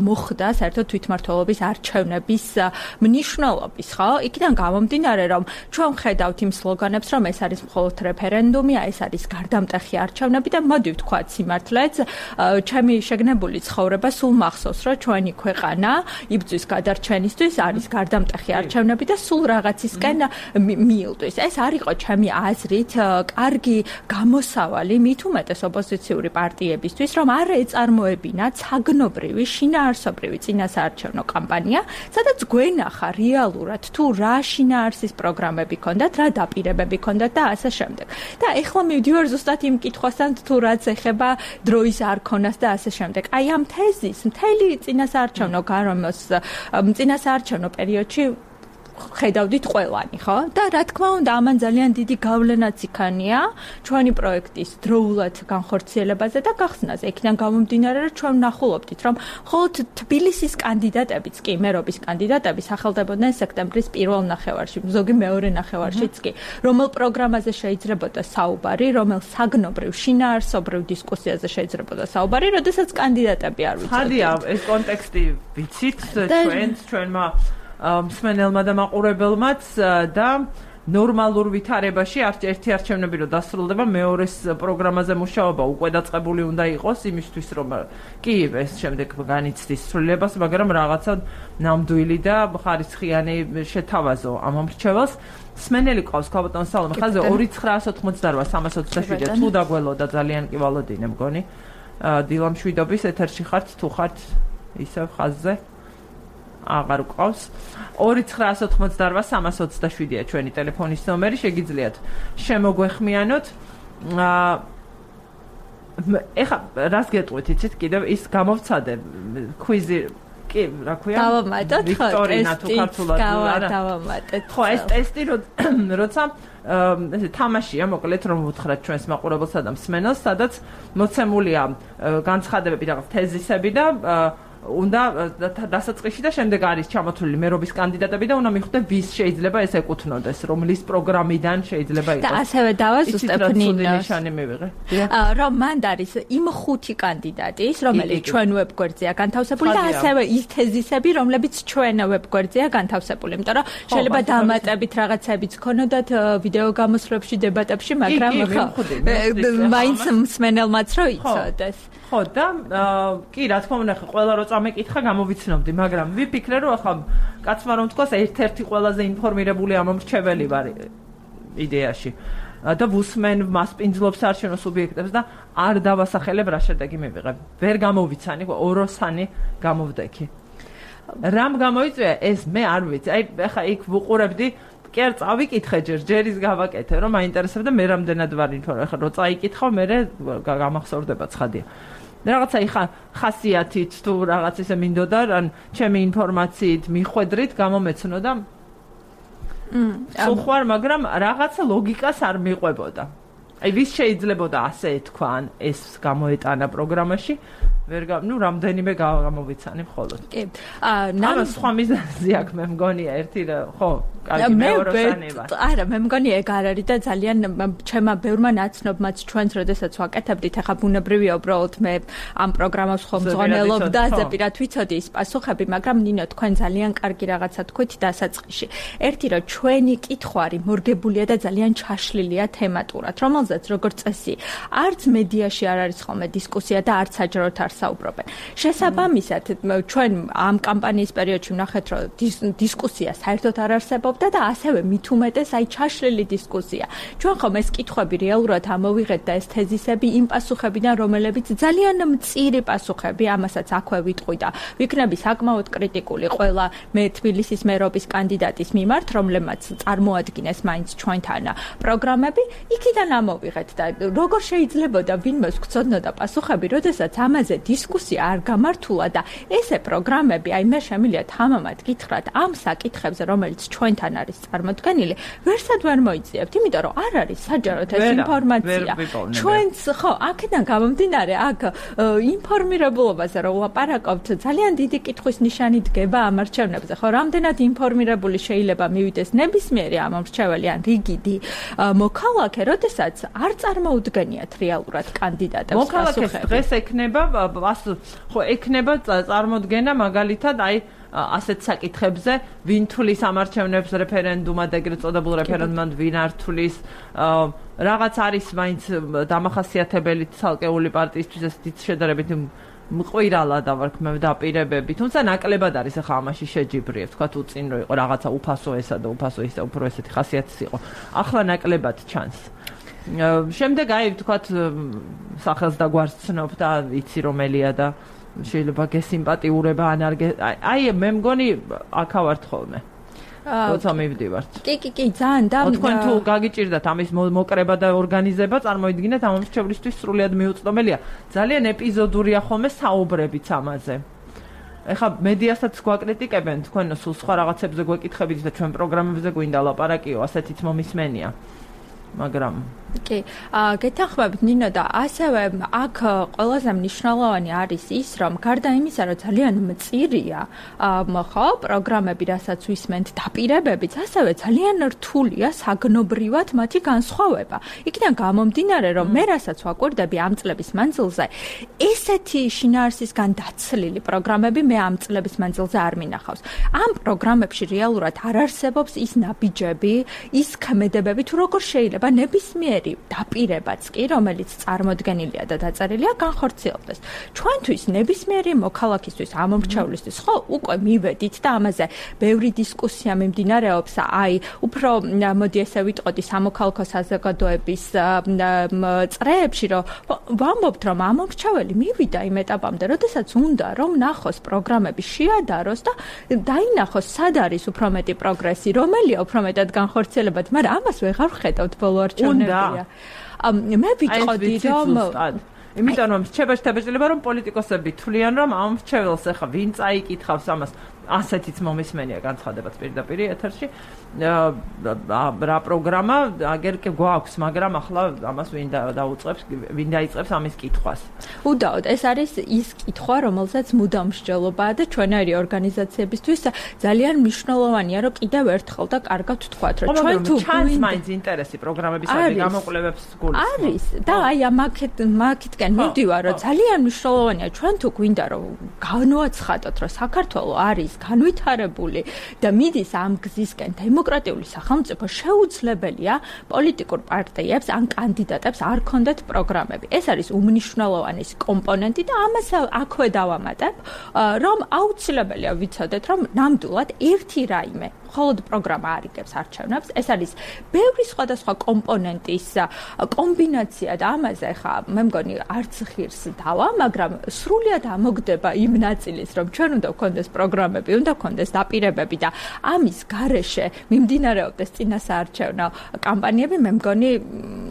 მოხდა საერთოდ თვითმმართველობის არჩევნების მნიშვნელობის, ხო? იქიდან გამომდინარე რომ ჩვენ ხედავთ იმ სლოგანებს რომ ეს არის მხოლოდ რეფერენდუმია, ეს არის გარდამტეხი არჩევნები და მოდი ვთქვათ სიმართლეც, ჩემი შეგნებული ცხოვრება სულ მახსოვს რომ ჩვენი ქვეყანა იბრძვის გადარჩენისთვის არის გარდამტეხი არჩევნები და სულ რაღაცისკენ მიილთვის. ეს არ იყო ჩემი აზრით კარგი გამოსავალი მით უმეტეს ოპოზიციური პარტიებისთვის, რომ არ ეწარმოებინათ საგნობრივი, შინაარსობრივი წინასაარჩევნო კამპანია, სადაც გვენახა რეალურად თუ რა შინაარსის პროგრამები ქონდათ, რა დაპირებები ქონდათ და ასე შემდეგ. და ეხლა მივდივარ ზუსტად იმ კითხვასთან თუ რაც ეხება დროის არქონას და ასე შემდეგ. აი ამ თეზის მთელი წინასაარჩევნო გარემოს წინასაარჩევნო პერიოდში ხედავდით ყველანი, ხო? და რა თქმა უნდა, ამან ძალიან დიდი გავლენაც იქანია ჩვენი პროექტის დროულად განხორციელებაზე და გახსნაზე. იქიდან გამომდინარე, რომ ჩვენ ვნახულობდით, რომ მხოლოდ თბილისის კანდიდატებიც კი, მერობის კანდიდატები სახელდებოდნენ სექტემბრის პირველ ნახევარში, ზოგი მეორე ნახევარშიც კი. რომელ პროგრამაზე შეიძლებოდა საუბარი, რომელ საგნობრივ, შინაარსობრივ დისკუსიაზე შეიძლებოდა საუბარი, როდესაც კანდიდატები არ ვიცოდით. ხადია, ეს კონტექსტი ვიცით ჩვენმა მსმენელმა და მაყურებელმაც და ნორმალურ ვითარებაში ერთი არჩევნები რო დასრულდება, მეორეს პროგრამაზე მუშაობა უკვე დაწყებული უნდა იყოს იმისთვის, რომ კი ეს შემდეგ განიცდის ცვლილებას, მაგრამ რაღაცა ნამდვილი და ხარისხიანი შეთავაზო ამ მრჩეველს. სმენელი ყავს ქალბატონ სალომე ხაზე 2988327 თუ დაგველოდა ძალიან კი ვალოდინე მგონი. დილამშვიდობის ეთერში ხართ თუ ხართ ისევ ხაზზე? აღარ ყავს 2988327-ია ჩვენი ტელეფონის ნომერი, შეგიძლიათ შემოგვეხმიანოთ. ეხა რას გეტყვით, იცით, კიდევ ის გამოვცადე კვიზი, კი, რა ქვია? დავამატოთ, ხო, ვიქტორინა თუ ქართულად არა. დავამატეთ. ხო, ეს ტესტი როცა ესე თამაშია, მოკლედ რომ ვუთხრათ ჩვენს მაყურებელსა და მსმენელს, სადაც მოცემულია განცხადებები, რაღაც თეზისები და უნდა დასაწყისში და შემდეგ არის ჩამოთვლილი მერობის კანდიდატები და უნდა მიხვდე ვის შეიძლება ეს ეკუთვნოდეს, რომლის პროგრამიდან შეიძლება იყოს. და ასევე დავაზუსტებ ნინოს. რომ მანდ არის იმ 5 კანდიდატის, რომელიც ჩვენ ვებგვერდზეა განთავსებული და ასევე ის თეზისები, რომლებიც ჩვენ ვებგვერდზეა განთავსებული. იმიტომ რომ შეიძლება დამატებით რაღაცებიც ქონოდათ ვიდეო გამოსვლებში, დებატებში, მაგრამ მაინც მსმენელმაც რო იცოდეს. ხო და კი რა თქმა უნდა ყველა რო წამეკითხა გამოვიცნობდი, მაგრამ ვიფიქრე რომ ახლა კაცმა რომ თქვას ერთ-ერთი ყველაზე ინფორმირებული ამ მრჩეველი ვარ იდეაში. და ვუსმენ მასპინძლობს არჩევნო სუბიექტებს და არ დავასახელებ რა შედეგი მივიღებ. ვერ გამოვიცანი, ოროსანი გამოვდექი. რამ გამოიწვია ეს მე არ ვიცი. აი ახლა იქ ვუყურებდი კი არ წავიკითხე ჯერის გავაკეთე რომ მაინტერესებდა მე რამდენად ვარ ინფორმაცია. ახლა რო წაიკითხავ მე გამახსოვრდება ცხადია. რაღაცა იხა ხასიათით თუ რაღაც ისე მინდოდა ან ჩემი ინფორმაციით მიხვედრით გამომეცნოდა სულ მაგრამ რაღაცა ლოგიკას არ მიყვებოდა. აი ვის შეიძლებოდა ასე ეთქვა ან ეს გამოეტანა პროგრამაში რამდენიმე გამოვიცანი მხოლოდ. კი. ამას სხვა მიზეზი აქვს მე მგონია ერთი ხო კარგი მეოროსანი ვარ. არა მე მგონია ეგ არ არის და ძალიან ჩემმა ბევრმა ნაცნობმაც ჩვენს როდესაც ვაკეთებდით ახლა ბუნებრივია უბრალოდ მე ამ პროგრამას ხომ ზღონელობდა ზეპირად ვიცოდი ის პასუხები მაგრამ ნინო თქვენ ძალიან კარგი რაღაცა თქვით დასაწყისში. ერთი რომ ჩვენი კითხვარი მორგებულია და ძალიან ჩაშლილია თემატურად რომელზეც როგორც წესი არც მედიაში არ არის ხოლმე დისკუსია და არც საჯაროდ არ საუბრობენ. შესაბამისად ჩვენ ამ კამპანიის პერიოდში ვნახეთ რომ დისკუსია საერთოდ არ არსებობდა და ასევე მით უმეტეს აი ჩაშლილი დისკუსია. ჩვენ ხომ ეს კითხვები რეალურად ამოვიღეთ და ეს თეზისები იმ პასუხებიდან რომელებიც ძალიან მწირი პასუხები ამასაც აქვე ვიტყვი და ვიქნები საკმაოდ კრიტიკული ყველა მე თბილისის მერობის კანდიდატის მიმართ რომლებმაც წარმოადგინეს მაინც ჩვენთან პროგრამები იქიდან ამოვიღეთ და როგორ შეიძლებოდა ვინმეს გწოდნოდა პასუხები როდესაც ამაზე დისკუსია არ გამართულა და ესე პროგრამები აი მე შემიძლია თამამად გითხრათ ამ საკითხებზე რომელიც ჩვენთან არის წარმოდგენილი ვერსად ვერ მოიძიებთ იმიტომ რომ არ არის საჯაროდ ეს ინფორმაცია ჩვენც ხო აქედან გამომდინარე აქ ინფორმირებულობაზე რომ ლაპარაკობთ ძალიან დიდი კითხვის ნიშანი დგება ამ არჩევნებზე ხო რამდენად ინფორმირებული შეიძლება მივიდეს ნებისმიერი ამ არჩეველი ან რიგიდი მოქალაქე როდესაც არ წარმოუდგენიათ რეალურად კანდიდატებს მოქალაქეს დღეს ექნება ხო ექნება წარმოდგენა მაგალითად აი ასეთ საკითხებზე ვინ თulis ამარჩევნებს რეფერენდუმად ეგრეთ წოდებულ რეფერენდუმად ვინ არ თulis რაღაც არის მაინც დამახასიათებელი ცალკეული პარტიისთვის ეს დიდ შედარებით მყირალა დავარქმევ დაპირებები თუმცა ნაკლებად არის ახლა ამაში შეჯიბრიებ თქვა თუ წინ რო იყო რაღაცა უფასო ესა და უფასო ისე უფრო ესეთი ხასიათის იყო ახლა ნაკლებად ჩანს შემდეგ აი თქვათ სახელს და გვარს ცნობ და იცი რომელია და შეიძლება გესიმპათიურება ან არ აი მე მგონი აქავართ ხოლმე როცა მივდივართ კი ძალიან და თქვენ თუ გაგიჭირდათ ამის მოკრება და ორგანიზება წარმოიდგინეთ ამ მრჩევლისთვის სრულიად მიუწვდომელია ძალიან ეპიზოდურია ხოლმე საუბრებიც ამაზე ეხა მედიასაც გვაკრიტიკებენ თქვენ სულ სხვა რაღაცებზე გვეკითხებით და ჩვენ პროგრამებზე გვინდა ლაპარაკიო ასეთიც მომისმენია მაგრამ კი გეთანხმებით ნინო და ასევე აქ ყველაზე მნიშვნელოვანი არის ის რომ გარდა იმისა რომ ძალიან მწირია ხო პროგრამები რასაც ვისმენთ დაპირებებიც ასევე ძალიან რთულია საგნობრივად მათი განსხვავება იქიდან გამომდინარე რომ მე რასაც ვაკვირდები ამ წლების მანძილზე ესეთი შინაარსისგან დაცლილი პროგრამები მე ამ წლების მანძილზე არ მინახავს ამ პროგრამებში რეალურად არ არსებობს ის ნაბიჯები ის ქმედებები თუ როგორ შეიძლება ნებისმიერ დაპირებაც კი რომელიც წარმოდგენილია და დაწერილია განხორციელდეს ჩვენთვის ნებისმიერი მოქალაქისთვის ამომრჩევლისთვის ხო უკვე მივედით და ამაზე ბევრი დისკუსია მიმდინარეობს აი უფრო მოდი ესე ვიტყოდი სამოქალაქო საზოგადოების წრეებში რომ ვამბობთ რომ ამომრჩეველი მივიდა იმ ეტაპამდე როდესაც უნდა რომ ნახოს პროგრამები შეადაროს და დაინახოს სად არის უფრო მეტი პროგრესი რომელია უფრო მეტად განხორციელებად მაგრამ ამას ვეღარ ვხედავთ ბოლო არჩევნებში მე ვიტყოდი რომ იმიტომ რომ შეიძლება რომ პოლიტიკოსები თვლიან რომ ამ მრჩეველს ახლა ვინ წაიკითხავს ამას ასეთიც მომისმენია განცხადებაც პირდაპირ ეთერში რა პროგრამა აგერ კი გვაქვს მაგრამ ახლა ამას ვინ დაუწყებს ვინ დაიწყებს ამის კითხვას უდაოდ ეს არის ის კითხვა რომელსაც მუდამ მსჯელობაა და ჩვენაირი ორგანიზაციებისთვის ძალიან მნიშვნელოვანია რომ კიდევ ერთხელ და კარგად ვთქვათ რომ ჩვენ თუ ჩანს მაინც ინტერესი პროგრამებისადმი გამოკვლევებს გულისხმობ არის და აი ამაკეთკენ მივდივარ რომ ძალიან მნიშვნელოვანია ჩვენ თუ გვინდა რომ განვაცხადოთ რომ საქართველო არის განვითარებული და მიდის ამ გზისკენ დემოკრატიული სახელმწიფო შეუძლებელია პოლიტიკურ პარტიებს ან კანდიდატებს არ ქონდეთ პროგრამები. ეს არის უმნიშვნელოვანესი კომპონენტი და ამას აქვე დავამატებ, რომ აუცილებელია ვიცოდეთ, რომ ნამდვილად ერთი რაიმე მხოლოდ პროგრამა არიგებს არჩევნებს. ეს არის ბევრი სხვადასხვა კომპონენტის კომბინაცია და ამაზე ხა მე მგონი არც ღირს დავა, მაგრამ სრულიად ამოგდება იმ ნაწილის, რომ ჩვენ უნდა გქონდეს პროგრამები, უნდა გქონდეს დაპირებები და ამის გარეშე მიმდინარეობდეს წინასაარჩევნო კამპანიები, მე მგონი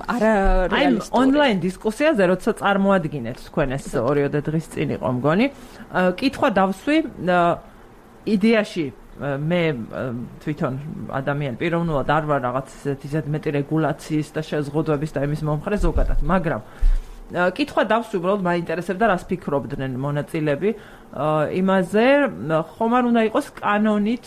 არა რეალისტური. აი ონლაინ დისკუსიაზე როცა წარმოადგინეთ თქვენ ეს 2 დღის წინ იყო მგონი, კითხვა დავსვი იდეაში მე თვითონ ადამიანი პიროვნულად არ ვარ რაღაც ისეთ მეტი რეგულაციის და შეზღუდვების და იმის მომხრე ზოგადად, მაგრამ კითხვა დავსვი უბრალოდ მაინტერესებდა რას ფიქრობდნენ მონაწილეები იმაზე, ხომ არ უნდა იყოს კანონით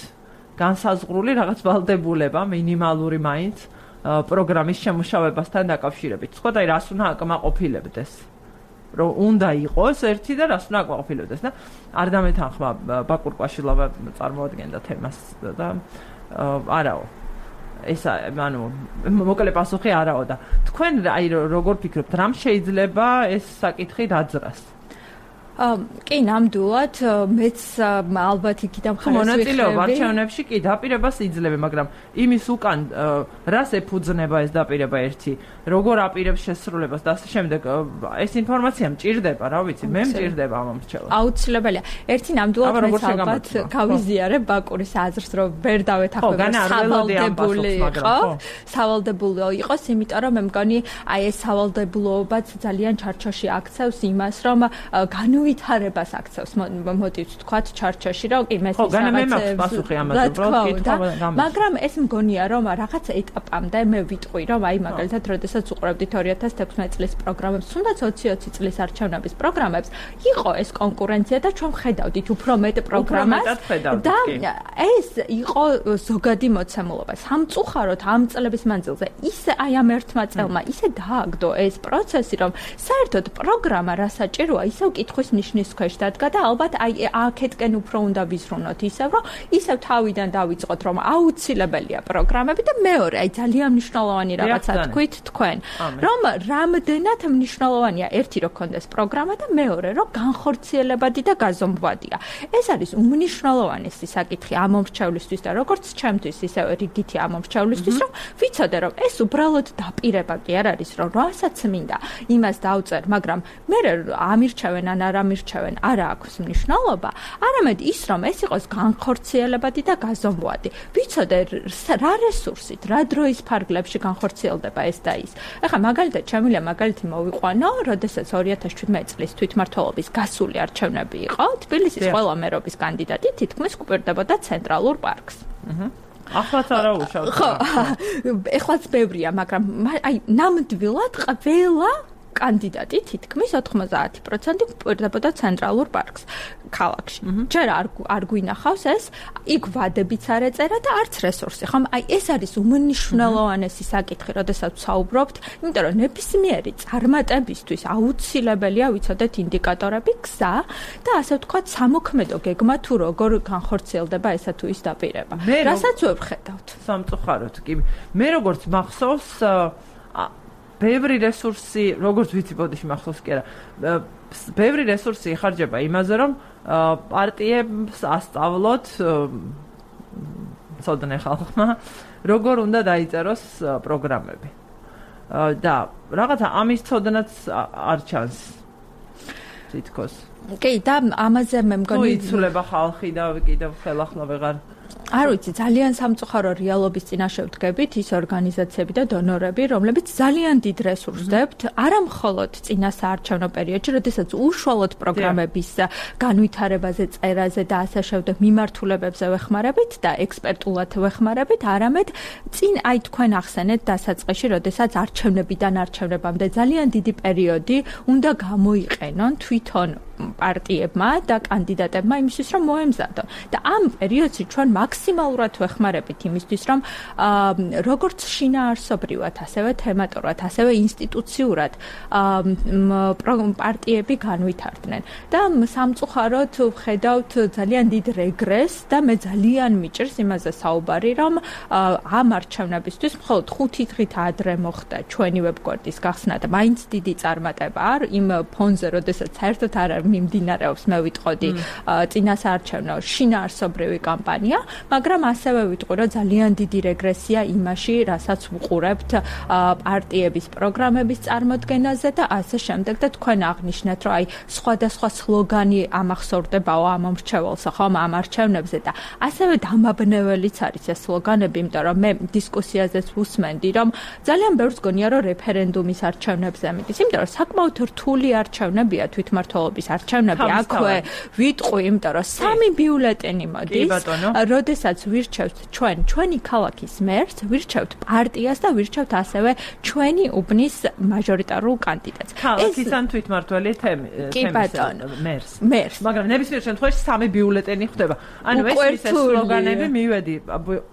განსაზღვრული რაღაც ვალდებულება მინიმალური მაინც პროგრამის შემუშავებასთან დაკავშირებით. სხვა და რას უნდა აკმაყოფილებდეს. რომ უნდა იყოს ერთი და რას უნდა აკმაყოფილებდეს და არ დამეთანხმა ბაკურ კვაშილავა წარმოადგენდა თემას და არაო. ეს ანუ მოკლე პასუხი არაო და თქვენ აი როგორ ფიქრობთ, რამ შეიძლება ეს საკითხი დაძრას? კი, ნამდვილად, მეც ალბათ იქიდან ხარ მონაწილეობა არჩევნებში კი დაპირებას იძლევა, მაგრამ იმის უკან რას ეფუძნება ეს დაპირება ერთი, როგორ აპირებს შესრულებას და ასე შემდეგ, ეს ინფორმაცია მჭირდება, რა ვიცი, მე მჭირდება ამ მომრჩევას. აუცილებელია. ერთი ნამდვილად მეც ალბათ გავიზიარებ ბაკურის აზრს, რომ ვერ დავეთანხმებ სავალდებულო იყოს, იმიტომ რომ მე მგონი აი ეს სავალდებულოებაც ძალიან ჩარჩოში აქცევს იმას, რომ ვითარებას აქცევს მოდით ვთქვათ ჩარჩოში რომ კი მე მაგრამ ეს მგონია რომ რაღაც ეტაპამდე მე ვიტყვი რომ აი მაგალითად როდესაც უყურებდით 2016 წლის პროგრამებს თუნდაც 2020 წლის არჩევნების პროგრამებს იყო ეს კონკურენცია და ჩვენ ხედავდით უფრო მეტ პროგრამას და ეს იყო ზოგადი მოცემულობა სამწუხაროდ ამ წლების მანძილზე ისე აი ამ ერთმა წელმა ისე დააგდო ეს პროცესი რომ საერთოდ პროგრამა რა საჭიროა ისევ კითხვის ნიშნის ქვეშ დადგა და ალბათ აი აქეთკენ უფრო უნდა ვიზრუნოთ ისევ რომ ისევ თავიდან დავიწყოთ რომ აუცილებელია პროგრამები და მეორე აი ძალიან მნიშვნელოვანი რაღაცა თქვით თქვენ რომ რამდენად მნიშვნელოვანია ერთი რომ გქონდეს პროგრამა და მეორე რომ განხორციელებადი და გაზომვადია ეს არის უმნიშვნელოვანესი საკითხი ამ მომრჩევლისთვის და როგორც ჩემთვის ისევ რიგითი ამ მომრჩევლისთვის რომ ვიცოდე რომ ეს უბრალოდ დაპირება კი არ არის რომ რასაც მინდა იმას დავწერ მაგრამ მე ამირჩევენ ან არ ამირჩევენ არა აქვს მნიშვნელობა არამედ ის რომ ეს იყოს განხორციელებადი და გაზომვადი ვიცოდე რა რესურსით რა დროის ფარგლებში განხორციელდება ეს და ის ეხლა მაგალითად შემიძლია მაგალითი მოვიყვანო როდესაც 2017 წლის თვითმმართველობის გასული არჩევნები იყო თბილისის ყველა მერობის კანდიდატი თითქმის გვპირდებოდა ცენტრალურ პარკს ახლაც არა უშავთ ხო ეხლაც ბევრია მაგრამ აი ნამდვილად ყველა კანდიდატი თითქმის 90% გვპირდებოდა ცენტრალურ პარკს ქალაქში. ჯერ არ გვინახავს ეს, იქ ვადებიც არ ეწერა და არც რესურსი. ხომ აი ეს არის უმნიშვნელოვანესი საკითხი, როდესაც ვსაუბრობთ, იმიტომ რომ ნებისმიერი წარმატებისთვის აუცილებელია ვიცოდეთ ინდიკატორები, გზა და ასე ვთქვათ სამოქმედო გეგმა თუ როგორ განხორციელდება ესა თუ ის დაპირება. რასაც ვხედავთ. სამწუხაროდ კი. მე როგორც მახსოვს ბევრი რესურსი, როგორც ვიცი, ბოდიში მახსოვს კი არა. ბევრი რესურსი იხარჯება იმაზე, რომ პარტიებს ასწავლოთ ცოდნე ხალხმა, როგორ უნდა დაიწეროს პროგრამები. და რაღაცა ამის ცოდნაც არ ჩანს. თითქოს. კი, და ამაზე მე მგონი იცვლება ხალხი და კიდევ ხელახლა ვეღარ არ ვიცი, ძალიან სამწუხარო რეალობის წინაშე ვდგებით ის ორგანიზაციები და დონორები, რომლებიც ძალიან დიდ რესურსს დებთ, არა მხოლოდ წინასაარჩევნო პერიოდში, როდესაც უშუალოდ პროგრამების განვითარებაზე, წერაზე და ასე შემდეგ მიმართულებებზე ვეხმარებით და ექსპერტულად ვეხმარებით, არამედ წინ აი თქვენ ახსენეთ დასაწყისში, როდესაც არჩევნებიდან არჩევნებამდე ძალიან დიდი პერიოდი უნდა გამოიყენონ თვითონ პარტიებმა და კანდიდატებმა იმისთვის, რომ მოემზადონ. და ამ პერიოდში ჩვენ მაქსიმალურად ვეხმარებით იმისთვის, რომ როგორც შინაარსობრივად, ასევე თემატურად, ასევე ინსტიტუციურად პარტიები განვითარდნენ. და სამწუხაროდ ვხედავთ ძალიან დიდ რეგრესს და მე ძალიან მიჭირს იმაზე საუბარი, რომ ამ არჩევნებისთვის მხოლოდ 5 დღით ადრე მოხდა ჩვენი ვებგვერდის გახსნა და მაინც დიდი წარმატება არ იმ ფონზე, როდესაც საერთოდ არ მიმდინარეობს, მე ვიტყოდი, წინასაარჩევნო შინაარსობრივი კამპანია, მაგრამ ასევე ვიტყვი, რომ ძალიან დიდი რეგრესია იმაში, რასაც ვუყურებთ პარტიების პროგრამების წარმოდგენაზე და ასე შემდეგ და თქვენ აღნიშნეთ, რომ აი სხვადასხვა სლოგანი ამახსოვრდებაო ამ მრჩეველსა, ხომ ამ არჩევნებზე და ასევე დამაბნეველიც არის ეს სლოგანები, იმიტომ რომ მე დისკუსიაზეც ვუსმენდი, რომ ძალიან ბევრს გონია, რომ რეფერენდუმის არჩევნებზე მიდის, იმიტომ რომ საკმაოდ რთული არჩევნებია თვითმმართველობის არჩევნები, აქვე ვიტყვი, იმიტომ რომ 3 ბიულეტენი მოდის, როდესაც ვირჩევთ ჩვენი ქალაქის მერს, ვირჩევთ პარტიას და ვირჩევთ ასევე ჩვენი უბნის მაჟორიტარულ კანდიდატს. ქალაქის ან თვითმმართველი მერს. მაგრამ ნებისმიერ შემთხვევაში 3 ბიულეტენი ხდება. ანუ ეს სლოგანები მივედი.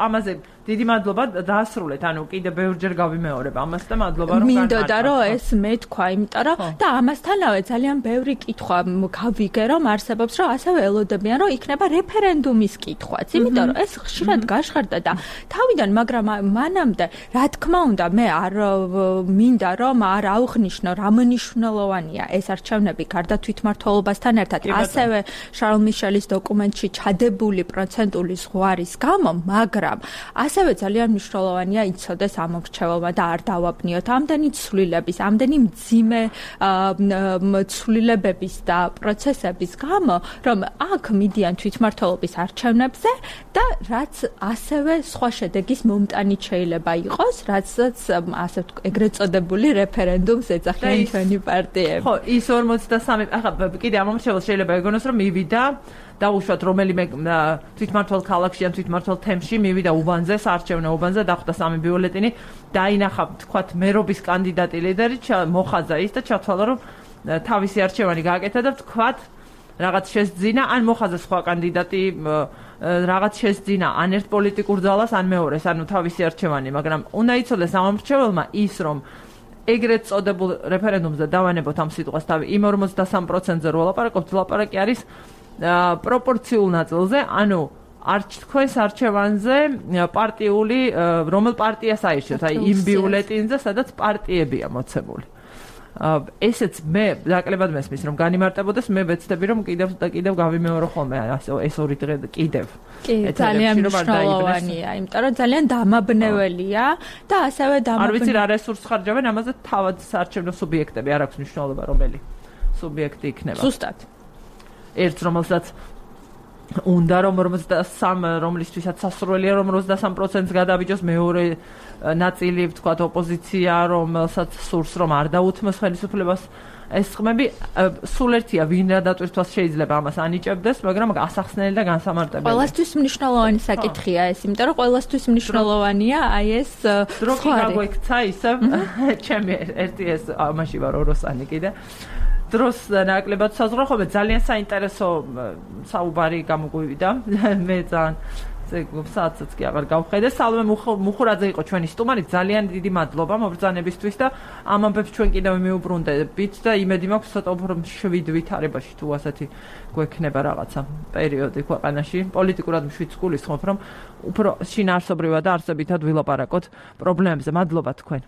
ამაზე დიდი მადლობა დაასრულეთ. ანუ კიდე ბევრჯერ გავიმეორებ ამას და მადლობა რომ მინდოდა რომ ეს მე თქვა, იმიტომ რომ და ამასთანავე ძალიან ბევრი კითხვა გავიგე რომ არსებობს, რომ ასევე ელოდებიან რომ იქნება რეფერენდუმის კითხვაც, იმიტომ რომ ეს ხშირად გაჟღერდა და თავიდან, მაგრამ მანამდე რა თქმა უნდა მე არ მინდა რომ არ აუხნიშნო რა მნიშვნელოვანია ეს არჩევნები გარდა თვითმმართველობასთან ერთად, ასევე შარლ მიშელის დოკუმენტში ჩადებული პროცენტული ზღვარის გამო, მაგრამ ასევე ძალიან მნიშვნელოვანია იცოდეს ამ მრჩეველმა და არ დავაბნიოთ ამდენი ცვლილების, ამდენი მძიმე ცვლილებების და პროცესების გამო, რომ აქ მიდიან თვითმმართველობის არჩევნებზე და რაც ასევე სხვა შედეგის მომტანით შეიძლება იყოს, რაცაც ასე ეგრეთ წოდებული რეფერენდუმს ეძახიან ჩვენი პარტიები. ხო, ის 53, ახლა კიდე ამ მრჩეველს შეიძლება ეგონოს, რომ მივიდა დაუშვათ რომელიმე თვითმმართველ ქალაქში ან თვითმმართველ თემში მივიდა უბანზე, საარჩევნო უბანზე, დახვდა 3 ბიულეტენი, დაინახა, თქვათ, მერობის კანდიდატი ლიდერი, მოხაძა ის და ჩათვალა, რომ თავისი არჩევანი გააკეთა და თქვათ, რაღაც შესძინა, ან მოხაძა სხვა კანდიდატი რაღაც შესძინა, ან ერთ პოლიტიკურ ძალას, ან მეორეს, ანუ თავისი არჩევანი, მაგრამ უნდა იცოდეს ამ მრჩეველმა ის, რომ ეგრეთ წოდებულ რეფერენდუმზე დავანებოთ ამ სიტყვას თავი, იმ 43%-ზე რო ვლაპარაკობთ, ლაპარაკი არის პროპორციულ ნაწილზე, ანუ თქვენს არჩევანზე პარტიული, რომელ პარტიას აირჩევთ, აი იმ ბიულეტინზე, სადაც პარტიებია მოცემული. ესეც მე დაკლებად მესმის, რომ განიმარტებოდეს, მე ვეცდები, რომ კიდევ და კიდევ გავიმეორო ხოლმე ეს ორი დღე კიდევ. კი, ძალიან მნიშვნელოვანია, იმიტომ რომ ძალიან დამაბნეველია და ასევე არ ვიცი რა რესურს ხარჯავენ, ამაზე თავად საარჩევნო სუბიექტები არ აქვს მნიშვნელობა, რომელი სუბიექტი იქნება. ზუსტად. ერთ რომელსაც უნდა რომ 43, რომლისთვისაც სასურველია რომ 23%-ს გადავიჯოს, მეორე ნაწილი ვთქვათ ოპოზიცია, რომელსაც სურს რომ არ დაუთმოს ხელისუფლებას. ეს ხმები სულ ერთია, ვინ რა დატვირთვას შეიძლება ამას ანიჭებდეს, მაგრამ ასახსნელი და განსამარტებელი. ყველასთვის მნიშვნელოვანი საკითხია ეს, იმიტომ რომ ყველასთვის მნიშვნელოვანია აი ეს დროგი გაგვექცა ისევ, ჩემი ერთი ეს ამაში ვარ ოროსანი კიდე. დროს ნაკლებად საზღვრახობ, ძალიან საინტერესო საუბარი გამოგვივიდა. მე ძალიან საათსაც კი აღარ გავხედე. სალომე მუხურაძე იყო ჩვენი სტუმარი. ძალიან დიდი მადლობა მობრძანებისთვის და ამ ამბებს ჩვენ კიდევ მიუბრუნდებით და იმედი მაქვს ცოტა უფრო 7 ვითარებაში თუ ასეთი გვექნება რაღაცა პერიოდი ქვეყანაში. პოლიტიკურად მშვიდ გულისხმობ, რომ უფრო შინაარსობრივად და არსებითად ვილაპარაკოთ პრობლემებზე. მადლობა თქვენ.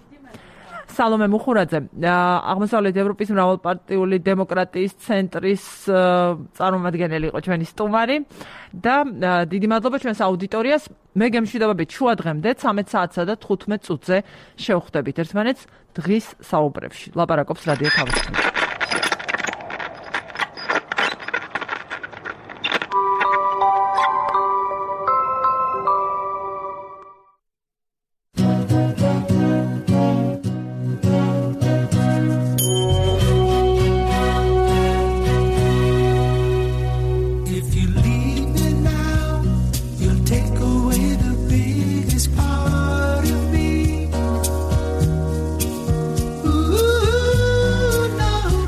სალომე მუხურაძე, აღმოსავლეთ ევროპის მრავალპარტიული დემოკრატიის ცენტრის წარმომადგენელი იყო ჩვენი სტუმარი და დიდი მადლობა ჩვენს აუდიტორიას. მე გემშვიდობებით შუა დღემდე 13 საათსა და 15 წუთზე შევხვდებით ერთმანეთს დღის საუბრებში. ლაპარაკობს რადიო თავისუფლება. Ooh, no.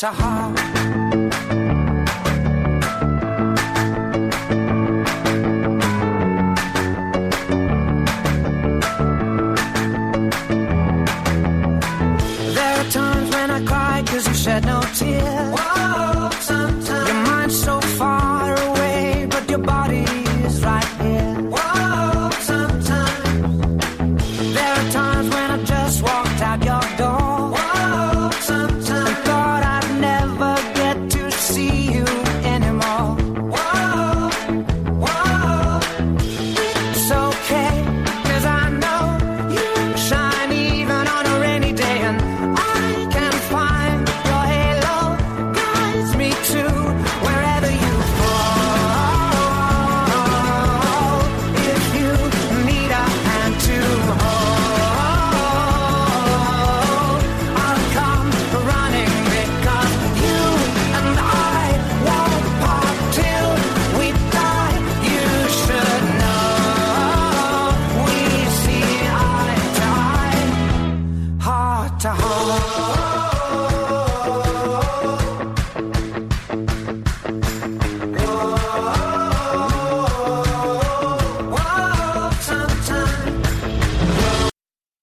ჩაჰა